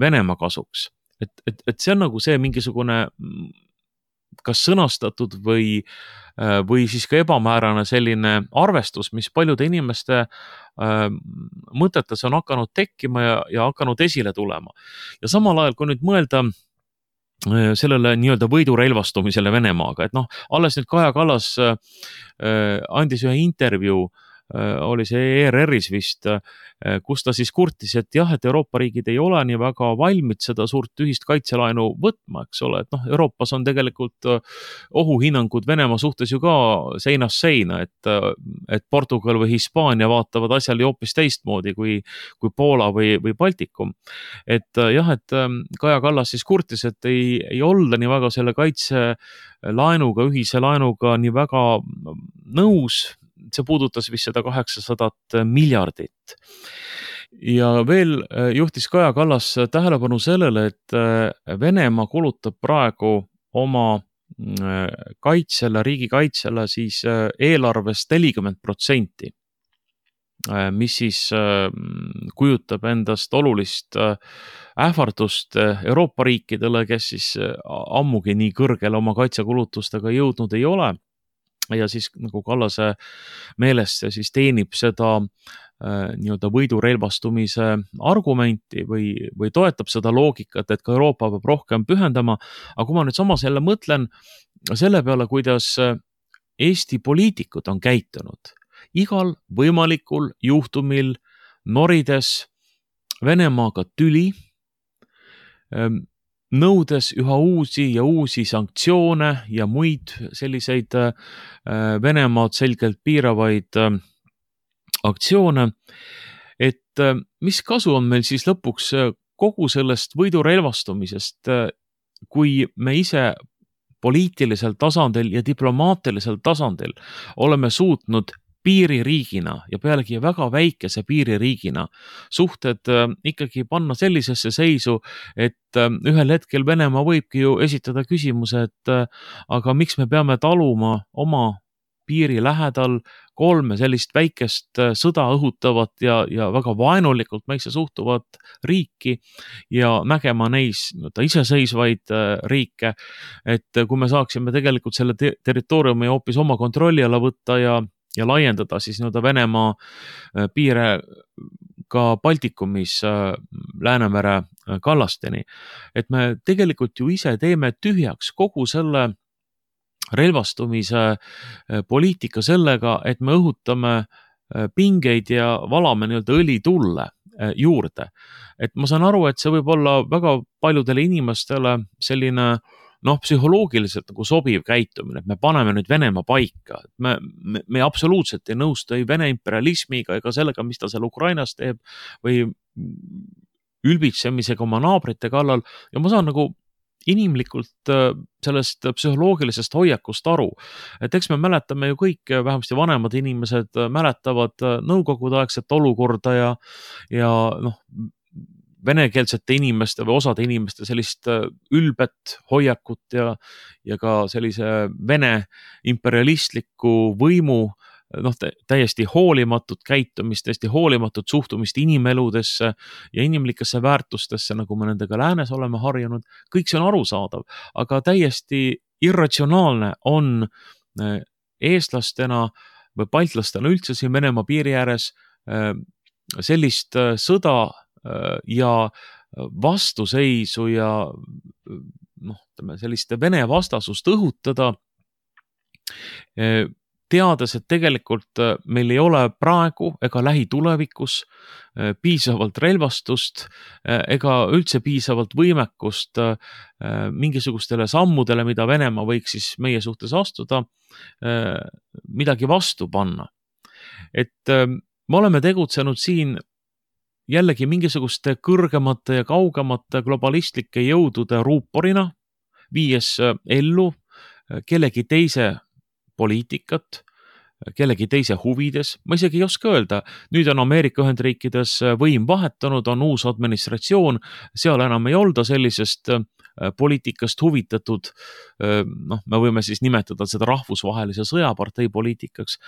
Venemaa kasuks. Et see on nagu see mingisugune kas sõnastatud või siis ka ebamäärane selline arvestus, mis paljude inimeste mõtetes on hakanud tekkima ja hakanud esile tulema. Ja samal ajal, kui nüüd mõelda sellele nii-öelda võidurelvastumisele Venemaaga, et alles nüüd Kaja Kallas andis ühe intervjuu oli see ERR-is vist, kus ta siis kurtis, et jah, et Euroopa riigid ei ole nii väga valmid seda suurt ühist kaitselaenu võtma, eks ole, et noh, Euroopas on tegelikult ohuhinnangud Venemaa suhtes ju ka seinast seina, et Portugal või Hispaania vaatavad asjale hoopis teistmoodi kui Poola või Baltikum. Et jah, et Kaja Kallas siis kurtis, et ei olda nii väga selle kaitselaenuga, ühise laenuga nii väga nõus. See puudutas vist seda 800 miljardit. Ja veel juhtis Kaja Kallas tähelepanu sellele, et Venemaa kulutab praegu oma kaitsele, riigikaitsele siis eelarvest 40%, mis siis kujutab endast olulist ähvardust Euroopa riikidele, kes siis ammugi nii kõrgele oma kaitsekulutustega jõudnud ei ole. Ja siis nagu Kallase meelest see siis teenib seda nii-öelda võidurelvastumise argumenti või toetab seda loogikat, et ka Euroopa peab rohkem pühendama. Aga kui ma nüüd samas jälle mõtlen selle peale, kuidas Eesti poliitikud on käitunud, igal võimalikul juhtumil norides Venemaaga tüli, nõudes üha uusi ja uusi sanktsioone ja muid selliseid Venemaad selgelt piiravaid aktsioone, et mis kasu on meil siis lõpuks kogu sellest võidurelvastumisest, kui me ise poliitilisel tasandil ja diplomaatilisel tasandil oleme suutnud piiririigina ja pealegi väga väikese piiririigina suhted ikkagi panna sellisesse seisu, et ühel hetkel Venemaa võibki ju esitada küsimuse, et aga miks me peame taluma oma piiri lähedal 3 sellist väikest sõda õhutavat ja väga vaenulikult meisse suhtuvat riiki ja nägema neis iseseisvaid riike, et kui me saaksime tegelikult selle territooriumi hoopis oma kontrolli alla võtta ja laiendada siis Venemaa piire ka Baltikumis Läänemere kallasteni. Et me tegelikult ju ise teeme tühjaks kogu selle relvastumise poliitika sellega, et me õhutame pingeid ja valame õli tulle juurde. Et ma saan aru, et see võib olla väga paljudele inimestele selline psühholoogiliselt nagu sobiv käitumine, et me paneme nüüd Venemaa paika. Me absoluutselt ei nõustu ei Vene imperialismiga ega sellega, mis ta seal Ukrainas teeb või ülbitsemisega oma naabrite kallal. Ja ma saan nagu inimlikult sellest psühholoogilisest hoiakust aru. Et eks me mäletame ju kõik, vähemasti vanemad inimesed mäletavad nõukogudeaegset olukorda ja venekeelsete inimeste või osade inimeste sellist ülbet hoiakut ja ka sellise Vene imperialistliku võimu täiesti hoolimatut käitumist, täiesti hoolimatut suhtumist inimeludesse ja inimlikesse väärtustesse, nagu me nendega läänes oleme harjunud. Kõik see on arusaadav, aga täiesti irratsionaalne on eestlastena või baltlastena üldse siin Venemaa piiri ääres sellist sõda ja vastuseisu ja sellist Vene vastasust õhutada, teades, et tegelikult meil ei ole praegu ega lähitulevikus piisavalt relvastust ega üldse piisavalt võimekust mingisugustele sammudele, mida Venemaa võiks siis meie suhtes astuda, midagi vastu panna. Et me oleme tegutsenud siin jällegi mingisuguste kõrgemate ja kaugemate globalistlike jõudude ruuporina, viies ellu kellegi teise poliitikat, kellegi teise huvides. Ma isegi ei oska öelda, nüüd on Ameerika Ühendriikides võim vahetanud, on uus administratsioon, seal enam ei olda sellisest poliitikast huvitatud, me võime siis nimetada seda rahvusvahelise sõjapartei poliitikaks.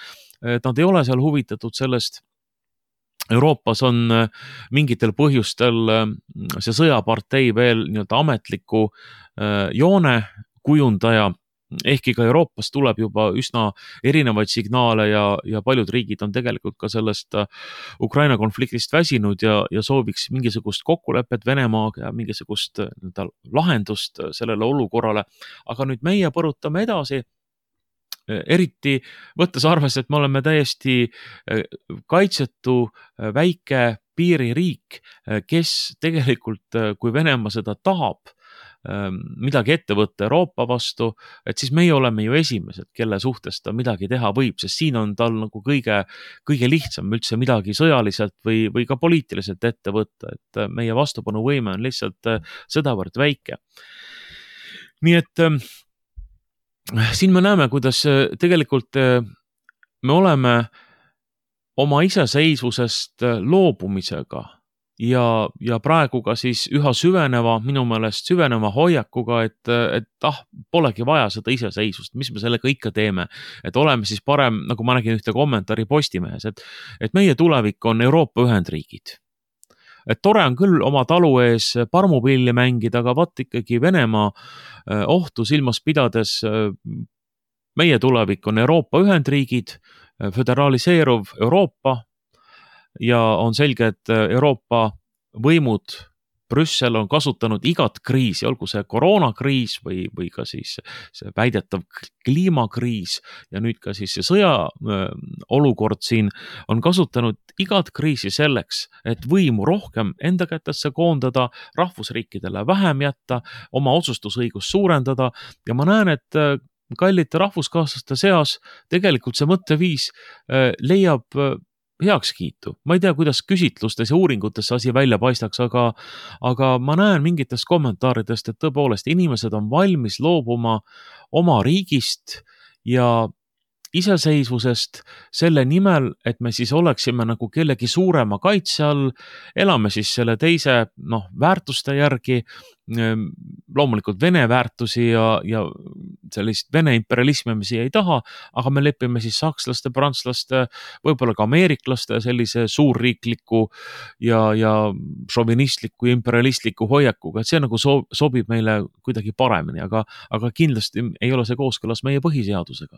Nad ei ole seal huvitatud sellest. Euroopas on mingitel põhjustel see sõjapartei veel ametliku joone kujundaja, ehkki ka Euroopas tuleb juba üsna erinevaid signaale ja paljud riigid on tegelikult ka sellest Ukraina konfliktist väsinud ja sooviks mingisugust kokkulepet Venemaaga ja eriti võttes arvesse, et me oleme täiesti kaitsetu väike piiririik, kes tegelikult, kui Venemaa seda tahab, midagi ette võtta Euroopa vastu, et siis meie oleme ju esimesed, kelle suhtes ta midagi teha võib, sest siin on tal nagu kõige lihtsam üldse midagi sõjaliselt või ka poliitiliselt ette võtta, et meie vastupanuvõime on lihtsalt sedavõrd väike. Nii et siin me näeme, kuidas tegelikult me oleme oma iseseisvusest loobumisega ja praegu ka siis üha minu meelest süveneva hoiakuga, et polegi vaja seda iseseisvust, mis me sellega ikka teeme, et oleme siis parem, nagu ma nägin ühte kommentaari Postimehes, et meie tulevik on Euroopa Ühendriigid. Et tore on küll oma talu ees parmupilli mängida, aga vaat ikkagi Venemaa ohtu silmas pidades meie tulevik on Euroopa Ühendriigid, föderaliseeruv Euroopa ja on selge, et Euroopa võimud, Brüssel on kasutanud igat kriisi, olgu see koroonakriis või ka siis see väidetav kliimakriis ja nüüd ka siis see sõja olukord siin on kasutanud igat kriisi selleks, et võimu rohkem enda kätesse koondada, rahvusriikidele vähem jätta, oma otsustusõigust suurendada ja ma näen, et kallite rahvuskaaslaste seas tegelikult see mõtteviis leiab heakskiitu. Ma ei tea, kuidas küsitlustes ja uuringutes see asi välja paistaks, aga ma näen mingitest kommentaaridest, et tõepoolest inimesed on valmis loobuma oma riigist ja iseseisvusest selle nimel, et me siis oleksime nagu kellegi suurema kaitse all, elame siis selle teise väärtuste järgi, loomulikult Vene väärtusi ja sellist Vene imperialismi me siia ei taha, aga me lepime siis sakslaste, prantslaste, võib-olla ka ameeriklaste sellise suurriikliku ja šovinistliku, imperialistliku hoiakuga, et see nagu sobib meile kuidagi paremini, aga kindlasti ei ole see kooskõlas meie põhiseadusega.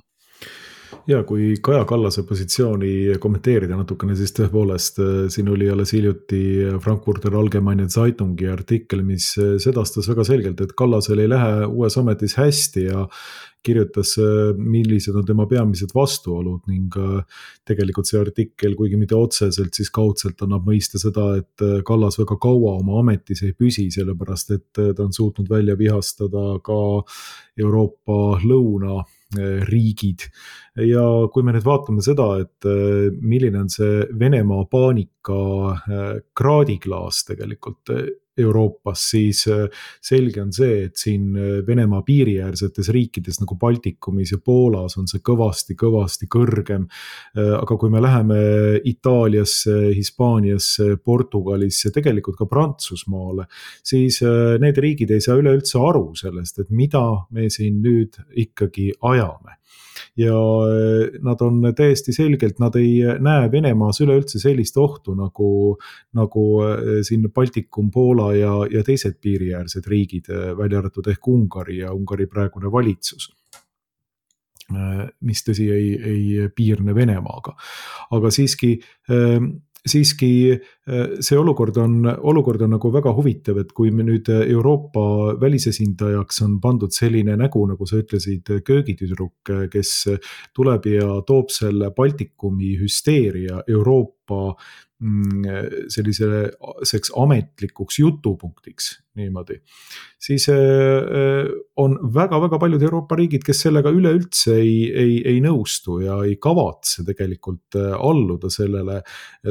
Ja kui Kaja Kallase positsiooni kommenteerida natukene, siis tõepoolest siin oli alles hiljuti Frankfurter Allgemeine Zeitungi artikkel, mis sedastas väga selgelt, et Kallasel ei lähe uues ametis hästi ja kirjutas, millised on tema peamised vastuolud ning tegelikult see artikkel, kuigi mitte otseselt, siis kaudselt annab mõista seda, et Kallas väga kaua oma ametis ei püsi, sellepärast et ta on suutnud välja vihastada ka Euroopa lõunariigid. Ja kui me nüüd vaatame seda, et milline on see Venemaa paanika kraadiklaas tegelikult Euroopas, siis selge on see, et siin Venemaa piiriäärsetes riikides nagu Baltikumis ja Poolas on see kõvasti kõrgem. Aga kui me läheme Itaaliasse, Hispaaniasse, Portugalisse, tegelikult ka Prantsusmaale, siis need riigid ei saa üleüldse aru sellest, et mida me siin nüüd ikkagi ajame. Ja nad on täiesti selgelt, nad ei näe Venemaas üleüldse sellist ohtu nagu siin Baltikum, Poola ja teised piiriäärsed riigid, välja arvatud ehk Ungari ja Ungari praegune valitsus, mis tõsi ei piirne Venemaaga. Aga siiski see olukord on nagu väga huvitav, et kui me nüüd Euroopa välisesindajaks on pandud selline nägu, nagu sa ütlesid, köögitüdruk, kes tuleb ja toob selle Baltikumi hüsteeria Euroopa selliseks ametlikuks jutupunktiks niimoodi, siis on väga paljud Euroopa riigid, kes sellega üleüldse ei nõustu ja ei kavatse tegelikult alluda sellele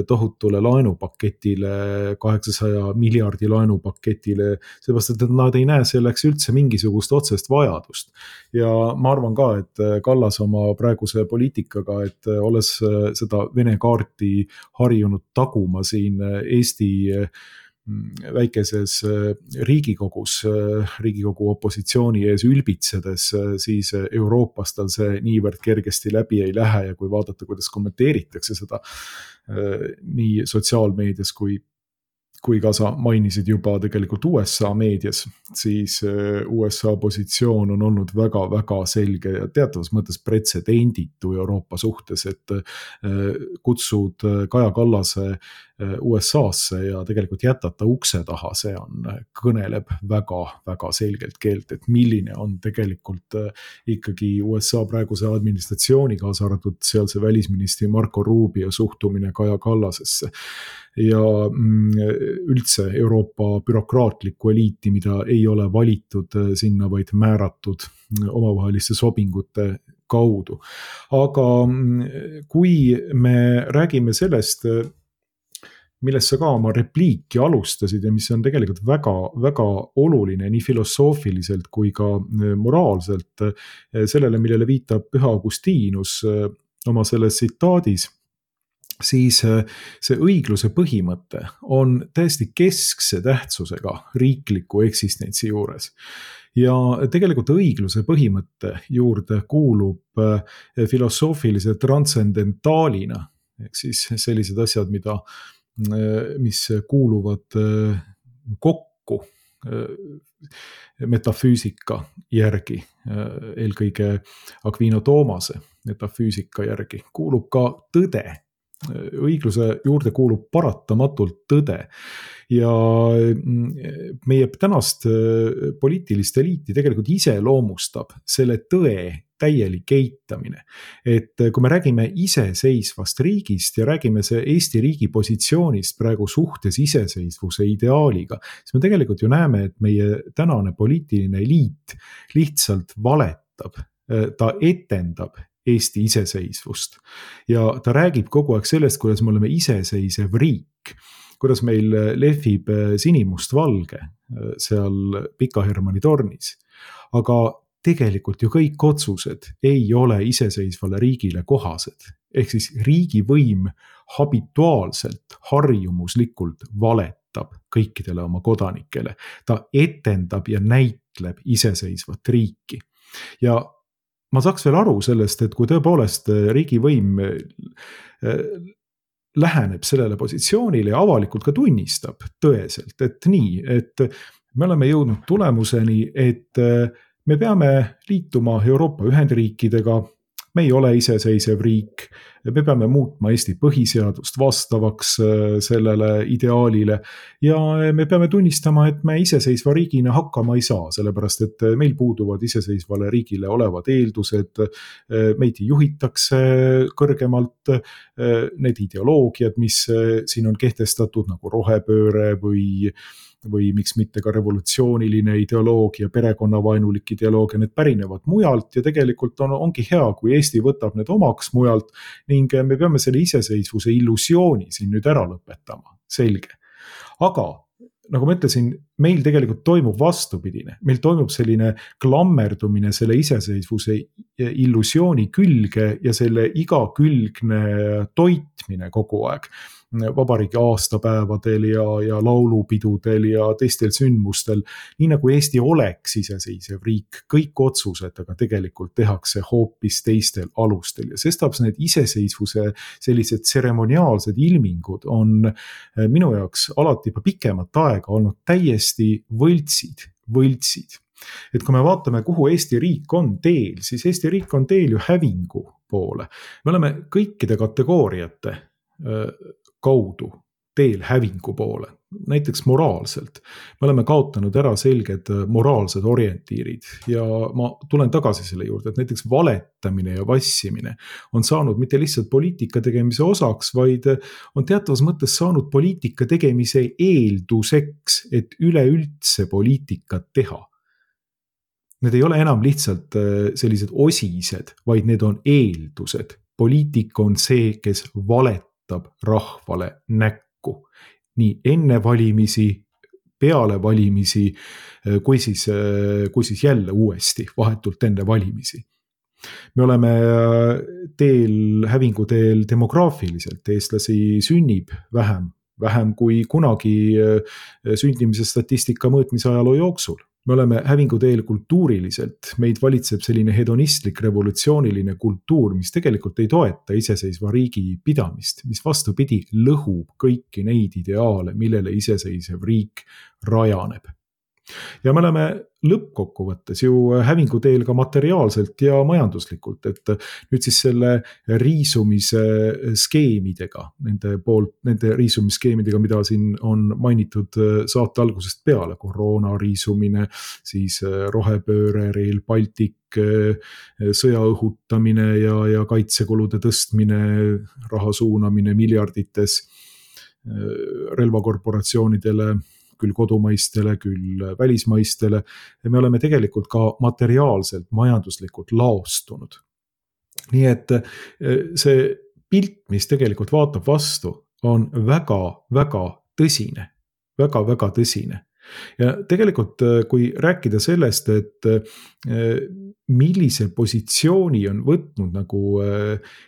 tohutule laenupaketile, 800 miljardi laenupaketile, seepärast, et nad ei näe selleks üldse mingisugust otsest vajadust. Ja ma arvan ka, et Kallas oma praeguse poliitikaga, et olles seda Vene kaarti harjunud taguma siin Eesti väikeses Riigikogu opositsiooni ees ülbitsedes, siis Euroopas tal see niivõrd kergesti läbi ei lähe ja kui vaadata, kuidas kommenteeritakse seda nii sotsiaalmeedias kui ka sa mainisid juba tegelikult USA meedias, siis USA positsioon on olnud väga selge ja teatavas mõttes pretsedenditu Euroopa suhtes, et kutsud Kaja Kallase USA-sse ja tegelikult jätata ukse taha, see kõneleb väga selgelt keelt, et milline on tegelikult ikkagi USA praeguse administratsiooni, kaasa arvatud sealse välisministri Marco Rubio suhtumine Kaja Kallasesse ja üldse Euroopa bürokraatlikku eliiti, mida ei ole valitud sinna, vaid määratud omavaheliste sobingute kaudu. Aga kui me räägime sellest, millest sa ka oma repliiki alustasid ja mis on tegelikult väga oluline nii filosoofiliselt kui ka moraalselt, sellele, millele viitab Püha Augustinus oma selles tsitaadis, siis see õigluse põhimõte on täiesti keskse tähtsusega riikliku eksistentsi juures. Ja tegelikult õigluse põhimõtte juurde kuulub filosoofilise transcendentaalina, ehk siis sellised asjad, mis kuuluvad kokku metafüüsika järgi, eelkõige Aquino Thomase metafüüsika järgi, kuulub ka tõde. Õigluse juurde kuulub paratamatult tõde ja meie tänast poliitilist eliiti tegelikult iseloomustab selle tõe täielik eitamine. Et kui me räägime iseseisvast riigist ja räägime see Eesti riigi positsioonist praegu suhtes iseseisvuse ideaaliga, siis me tegelikult ju näeme, et meie tänane poliitiline eliit lihtsalt valetab, ta etendab Eesti iseseisvust ja ta räägib kogu aeg sellest, kuidas me oleme iseseisev riik, kuidas meil lehvib sinimustvalge seal Pika Hermanni tornis, aga tegelikult ju kõik otsused ei ole iseseisvale riigile kohased, ehk siis riigivõim habituaalselt, harjumuslikult valetab kõikidele oma kodanikele, ta etendab ja näitleb iseseisvat riiki ja ma saaks veel aru sellest, et kui tõepoolest riigivõim läheneb sellele positsioonile ja avalikult ka tunnistab tõeselt, et nii, et me oleme jõudnud tulemuseni, et me peame liituma Euroopa Ühendriikidega, me ei ole iseseisev riik, me peame muutma Eesti põhiseadust vastavaks sellele ideaalile ja me peame tunnistama, et me iseseisva riigina hakkama ei saa, sellepärast et meil puuduvad iseseisvale riigile olevad eeldused, meid juhitakse kõrgemalt, need ideoloogiad, mis siin on kehtestatud nagu rohepööre või miks mitte ka revolutsiooniline ideoloogia, perekonnavaenulik ideoloogia, need pärinevad mujalt ja tegelikult ongi hea, kui Eesti võtab need omaks mujalt ning me peame selle iseseisvuse illusiooni siin nüüd ära lõpetama, selge. Aga nagu ma ütlesin, meil tegelikult toimub vastupidine, meil toimub selline klammerdumine selle iseseisvuse illusiooni külge ja selle igakülgne toitmine kogu aeg. Vabariigi aastapäevadel ja laulupidudel ja teistel sündmustel, nii nagu Eesti oleks iseseisev riik, kõik otsused, aga tegelikult tehakse hoopis teistel alustel ja sestap need iseseisvuse sellised tseremoniaalsed ilmingud on minu jaoks alati juba pikemat aega olnud täiesti võltsid. Et kui me vaatame, kuhu Eesti riik on teel, siis Eesti riik on teel ju hävingu poole. Me oleme kõikide kategooriate kaudu teel hävingu poole, näiteks moraalselt. Me oleme kaotanud ära selged moraalsed orientiirid ja ma tulen tagasi selle juurde, et näiteks valetamine ja vassimine on saanud mitte lihtsalt poliitika tegemise osaks, vaid on teatavas mõttes saanud poliitika tegemise eelduseks, et üleüldse poliitikat teha. Need ei ole enam lihtsalt sellised osised, vaid need on eeldused. Poliitik on see, kes valetab rahvale näkku. Nii enne valimisi, peale valimisi, kui siis jälle uuesti, vahetult enne valimisi. Me oleme hävinguteel demograafiliselt, eestlasi sünnib vähem kui kunagi sündimise statistika mõõtmise ajaloo jooksul. Me oleme hävinguteel kultuuriliselt, meid valitseb selline hedonistlik revolutsiooniline kultuur, mis tegelikult ei toeta iseseisva riigi pidamist, mis vastupidi lõhub kõiki neid ideaale, millele iseseisev riik rajaneb. Ja me oleme lõppkokkuvõttes ju hävinguteel ka materiaalselt ja majanduslikult, et nüüd siis selle riisumise skeemidega, nende riisumisskeemidega, mida siin on mainitud saate algusest peale, koroona riisumine, siis rohepööre, Rail Baltic, sõja õhutamine ja kaitsekulude tõstmine, raha suunamine miljardites relvakorporatsioonidele, küll kodumaistele, küll välismaistele. Ja me oleme tegelikult ka materiaalselt, majanduslikult laostunud. Nii et see pilt, mis tegelikult vaatab vastu, on väga tõsine. Väga tõsine. Ja tegelikult, kui rääkida sellest, et millise positsiooni on võtnud nagu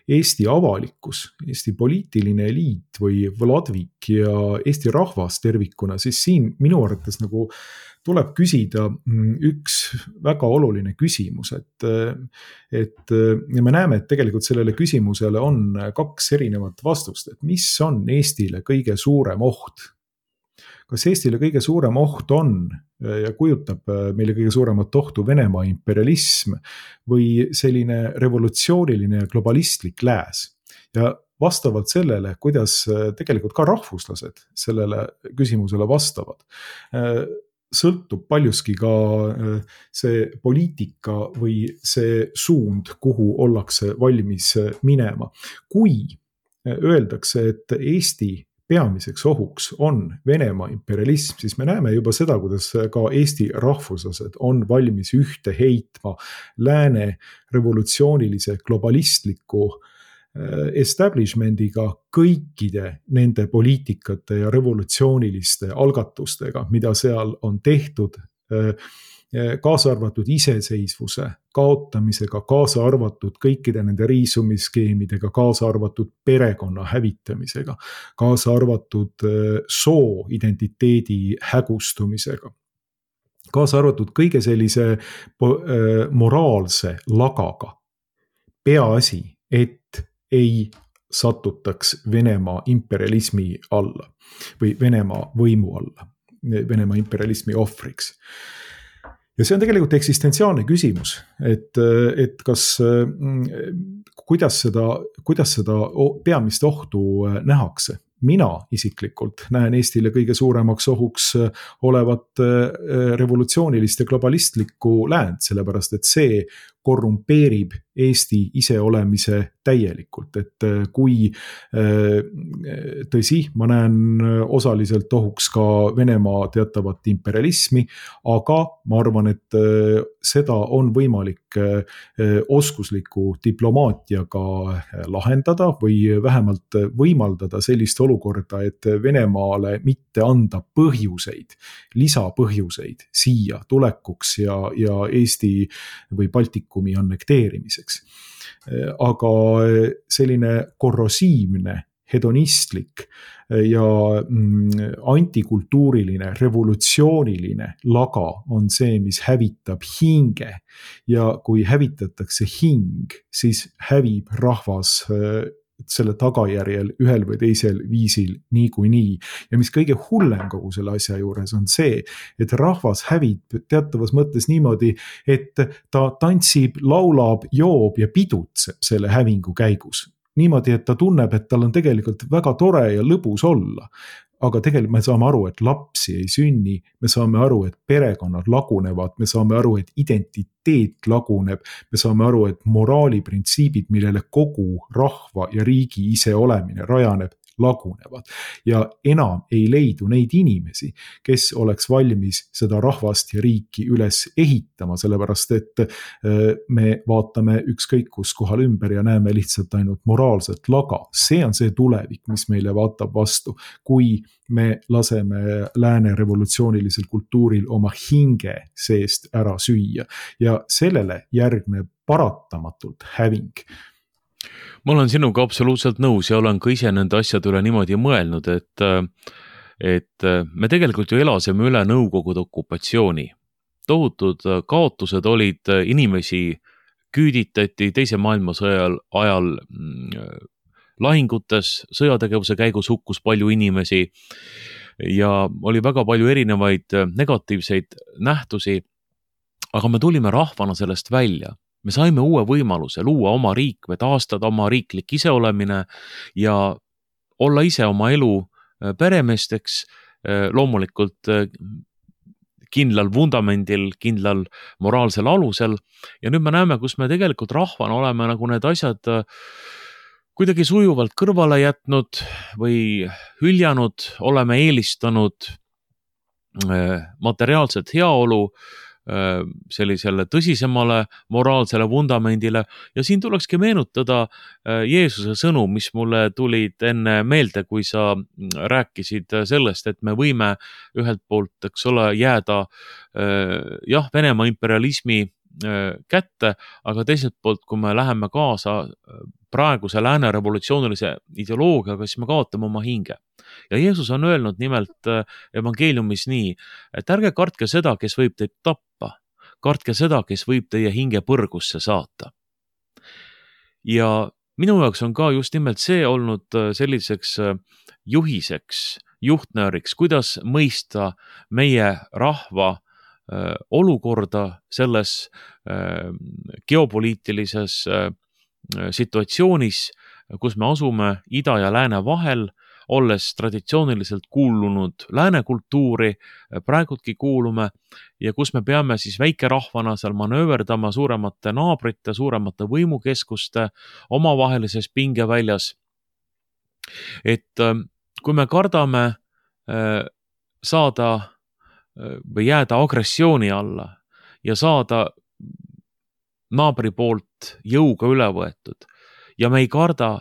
Eesti avalikkus, Eesti poliitiline eliit või Vladvik ja Eesti rahvas tervikuna, siis siin minu arvates nagu tuleb küsida üks väga oluline küsimus, et me näeme, et tegelikult sellele küsimusele on kaks erinevat vastust, et mis on Eestile kõige suurem oht. Kas Eestile kõige suurem oht on ja kujutab meile kõige suuremat ohtu Venemaa imperialism või selline revolutsiooniline ja globalistlik lääs? Ja vastavalt sellele, kuidas tegelikult ka rahvuslased sellele küsimusele vastavad, sõltub paljuski ka see poliitika või see suund, kuhu ollakse valmis minema. Kui öeldakse, et Eesti peamiseks ohuks on Venemaa imperialism, siis me näeme juba seda, kuidas ka Eesti rahvuslased on valmis ühte heitma lääne revolutsioonilise globalistliku establishmendiga kõikide nende poliitikate ja revolutsiooniliste algatustega, mida seal on tehtud, kaasa arvatud iseseisvuse kaotamisega, kaasa arvatud kõikide nende riisumisskeemidega, kaasa arvatud perekonna hävitamisega, kaasa arvatud soo identiteedi hägustumisega, kaasa arvatud kõige sellise moraalse lagaga. Peaasi, et ei satutaks Venemaa imperialismi alla või Venemaa võimu alla, Venemaa imperialismi ohvriks. Ja see on tegelikult eksistentsiaalne küsimus, et kas, kuidas seda peamist ohtu nähakse. Mina isiklikult näen Eestile kõige suuremaks ohuks olevat revolutsioonilist ja globalistlikku läänt, sellepärast et see korrumpeerib Eesti iseolemise täielikult, et kui tõsi, ma näen osaliselt ohuks ka Venemaa teatavat imperialismi, aga ma arvan, et seda on võimalik oskusliku diplomaatiaga lahendada või vähemalt võimaldada sellist olukorda, et Venemaale mitte anda põhjuseid, lisapõhjuseid siia tulekuks ja Eesti või Baltikumi annekteerimiseks. Aga selline korrosiivne, hedonistlik ja antikultuuriline, revolutsiooniline laga on see, mis hävitab hinge. Ja kui hävitatakse hing, siis hävib rahvas selle tagajärjel ühel või teisel viisil niikuinii. Ja mis kõige hullem kogu selle asja juures on see, et rahvas hävib teatavas mõttes niimoodi, et ta tantsib, laulab, joob ja pidutseb selle hävingu käigus. Niimoodi, et ta tunneb, et tal on tegelikult väga tore ja lõbus olla. Aga tegelikult me saame aru, et lapsi ei sünni, me saame aru, et perekonnad lagunevad, me saame aru, et identiteet laguneb, me saame aru, et moraaliprintsiibid, millele kogu rahva ja riigi iseolemine rajaneb, lagunevad. Ja enam ei leidu neid inimesi, kes oleks valmis seda rahvast ja riiki üles ehitama, sellepärast et me vaatame ükskõik kus kohal ümber ja näeme lihtsalt ainult moraalset laga. See on see tulevik, mis meile vaatab vastu, kui me laseme lääne revolutsioonilisel kultuuril oma hinge seest ära süüa. Ja sellele järgneb paratamatult häving. Ma olen sinuga absoluutselt nõus ja olen ka ise nende asjade üle niimoodi mõelnud, et me tegelikult ju elasime üle Nõukogude okupatsiooni. Tohutud kaotused olid, inimesi küüditati teise maailmasõja ajal lahingutes, sõjategevuse käigus hukkus palju inimesi. ja oli väga palju erinevaid negatiivseid nähtusi, aga me tulime rahvana sellest välja. Me saime uue võimaluse luua oma riik või taastada oma riiklik iseolemine ja olla ise oma elu peremeesteks, loomulikult kindlal vundamendil, kindlal moraalsel alusel. Ja nüüd me näeme, kus me tegelikult rahvana oleme nagu need asjad kuidagi sujuvalt kõrvale jätnud või hüljanud, oleme eelistanud materiaalset heaolu sellisele tõsisemale moraalsele vundamendile ja siin tulekski meenutada Jeesuse sõnu, mis mulle tulid enne meelde, kui sa rääkisid sellest, et me võime ühelt poolt, eks ole, jääda Venemaa imperialismi kätte, aga teiselt poolt, kui me läheme kaasa praeguse lääne revolutsioonilise ideoloogiaga, siis me kaotame oma hinge. Ja Jeesus on öelnud nimelt evangeeliumis nii, et ärge kartke seda, kes võib teid tappa, kartke seda, kes võib teie hinge põrgusse saata. Ja minu jaoks on ka just nimelt see olnud selliseks juhiseks, juhtnööriks, kuidas mõista meie rahva olukorda selles geopoliitilises situatsioonis, kus me asume ida ja lääne vahel, olles traditsiooniliselt kuulunud lääne kultuuri, praegudki kuulume ja kus me peame siis väikerahvana seal manööverdama suuremate naabrite, suuremate võimukeskuste omavahelises pingeväljas. Et kui me kardame saada või jääda agressiooni alla ja saada naabri poolt jõuga üle võetud ja me ei karda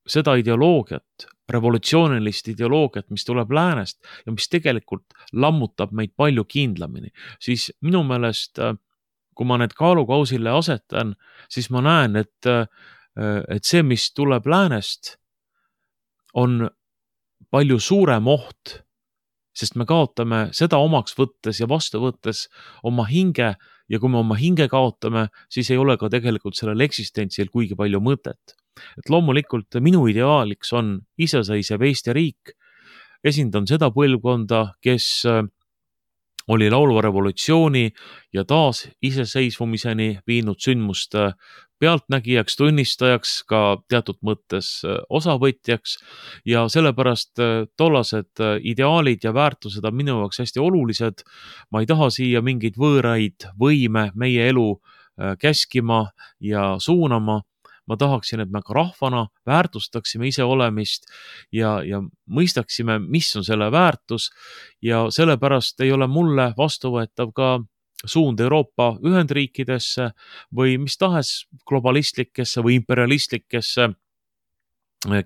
seda ideoloogiat, revolutsioonilist ideoloogiat, mis tuleb läänest ja mis tegelikult lammutab meid palju kindlamini, siis minu meelest, kui ma need kaalukausile asetan, siis ma näen, et see, mis tuleb läänest, on palju suurem oht, sest me kaotame seda omaks võttes ja vastu võttes oma hinge ja kui me oma hinge kaotame, siis ei ole ka tegelikult sellel eksistentsil kuigi palju mõtet. Et loomulikult minu ideaaliks on iseseisev Eesti riik, esindan seda põlvkonda, kes oli laulva revolutsiooni ja taas iseseisvumiseni viinud sündmuste pealtnägijaks, tunnistajaks, ka teatud mõttes osavõtjaks ja sellepärast tollased ideaalid ja väärtused on minu jaoks hästi olulised. Ma ei taha siia mingeid võõraid võime meie elu käskima ja suunama. Ma tahaksin, et me ka rahvana väärtustaksime iseolemist ja mõistaksime, mis on selle väärtus ja sellepärast ei ole mulle vastuvõetav ka suund Euroopa Ühendriikidesse või mis tahes globalistlikesse või imperialistlikesse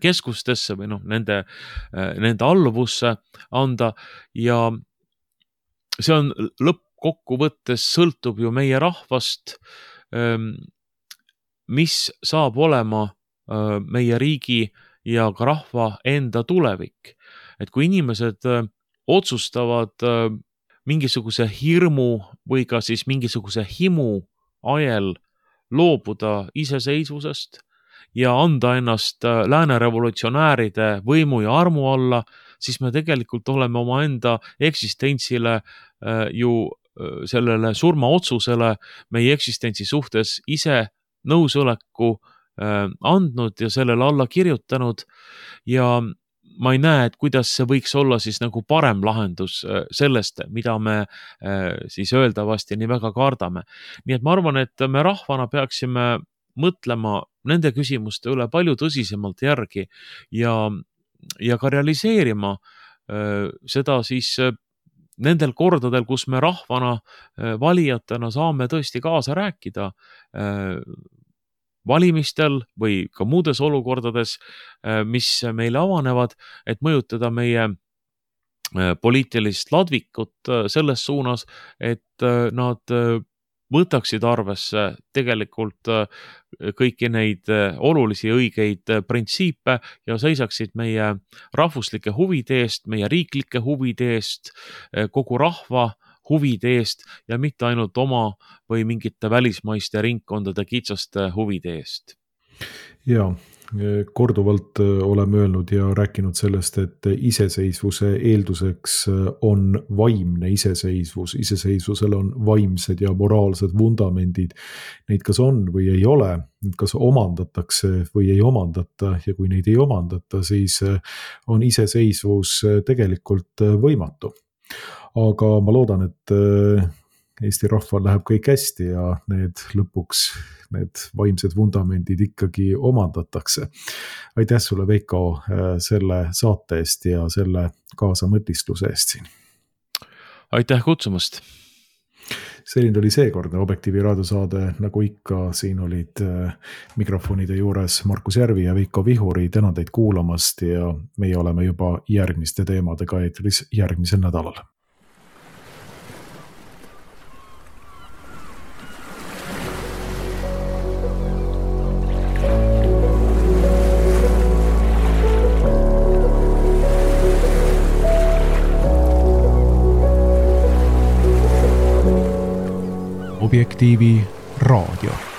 keskustesse või nende alluvusse anda ja see on lõppkokkuvõttes sõltub ju meie rahvast, mis saab olema meie riigi ja ka rahva enda tulevik. Et kui inimesed otsustavad mingisuguse hirmu või ka siis mingisuguse himu ajel loobuda iseseisvusest ja anda ennast lääne revolutsionääride võimu ja armu alla, siis me tegelikult oleme oma enda eksistentsile ju sellele surmaotsusele meie eksistentsi suhtes ise nõusoleku andnud ja sellele alla kirjutanud ja ma ei näe, et kuidas see võiks olla siis nagu parem lahendus sellest, mida me siis öeldavasti nii väga kardame. Nii et ma arvan, et me rahvana peaksime mõtlema nende küsimuste üle palju tõsisemalt järgi ja ka realiseerima seda siis nendel kordadel, kus me rahvana valijatena saame tõesti kaasa rääkida valimistel või ka muudes olukordades, mis meile avanevad, et mõjutada meie poliitilist ladvikut selles suunas, et nad võtaksid arvesse tegelikult kõiki neid olulisi õigeid printsiipe ja seisaksid meie rahvuslike huvide eest, meie riiklike huvide eest, kogu rahva huvide eest ja mitte ainult oma või mingite välismaiste ringkondade kitsaste huvide eest. Ja, Korduvalt oleme öelnud ja rääkinud sellest, et iseseisvuse eelduseks on vaimne iseseisvus. Iseseisvusel on vaimsed ja moraalsed vundamendid. Neid kas on või ei ole, kas omandatakse või ei omandata ja kui neid ei omandata, siis on iseseisvus tegelikult võimatu. Aga ma loodan, et Eesti rahval läheb kõik hästi ja need vaimsed vundamendid ikkagi omandatakse. Aitäh sulle, Veiko, selle saate eest ja selle kaasamõtistluse eest siin. Aitäh kutsumast! Selline oli seekordne Objektiivi raadiosaade, nagu ikka, siin olid mikrofonide juures Markus Järvi ja Veiko Vihuri. Tänan teid kuulamast ja meie oleme juba järgmiste teemadega eetris järgmisel nädalal. Objektiivi raadio.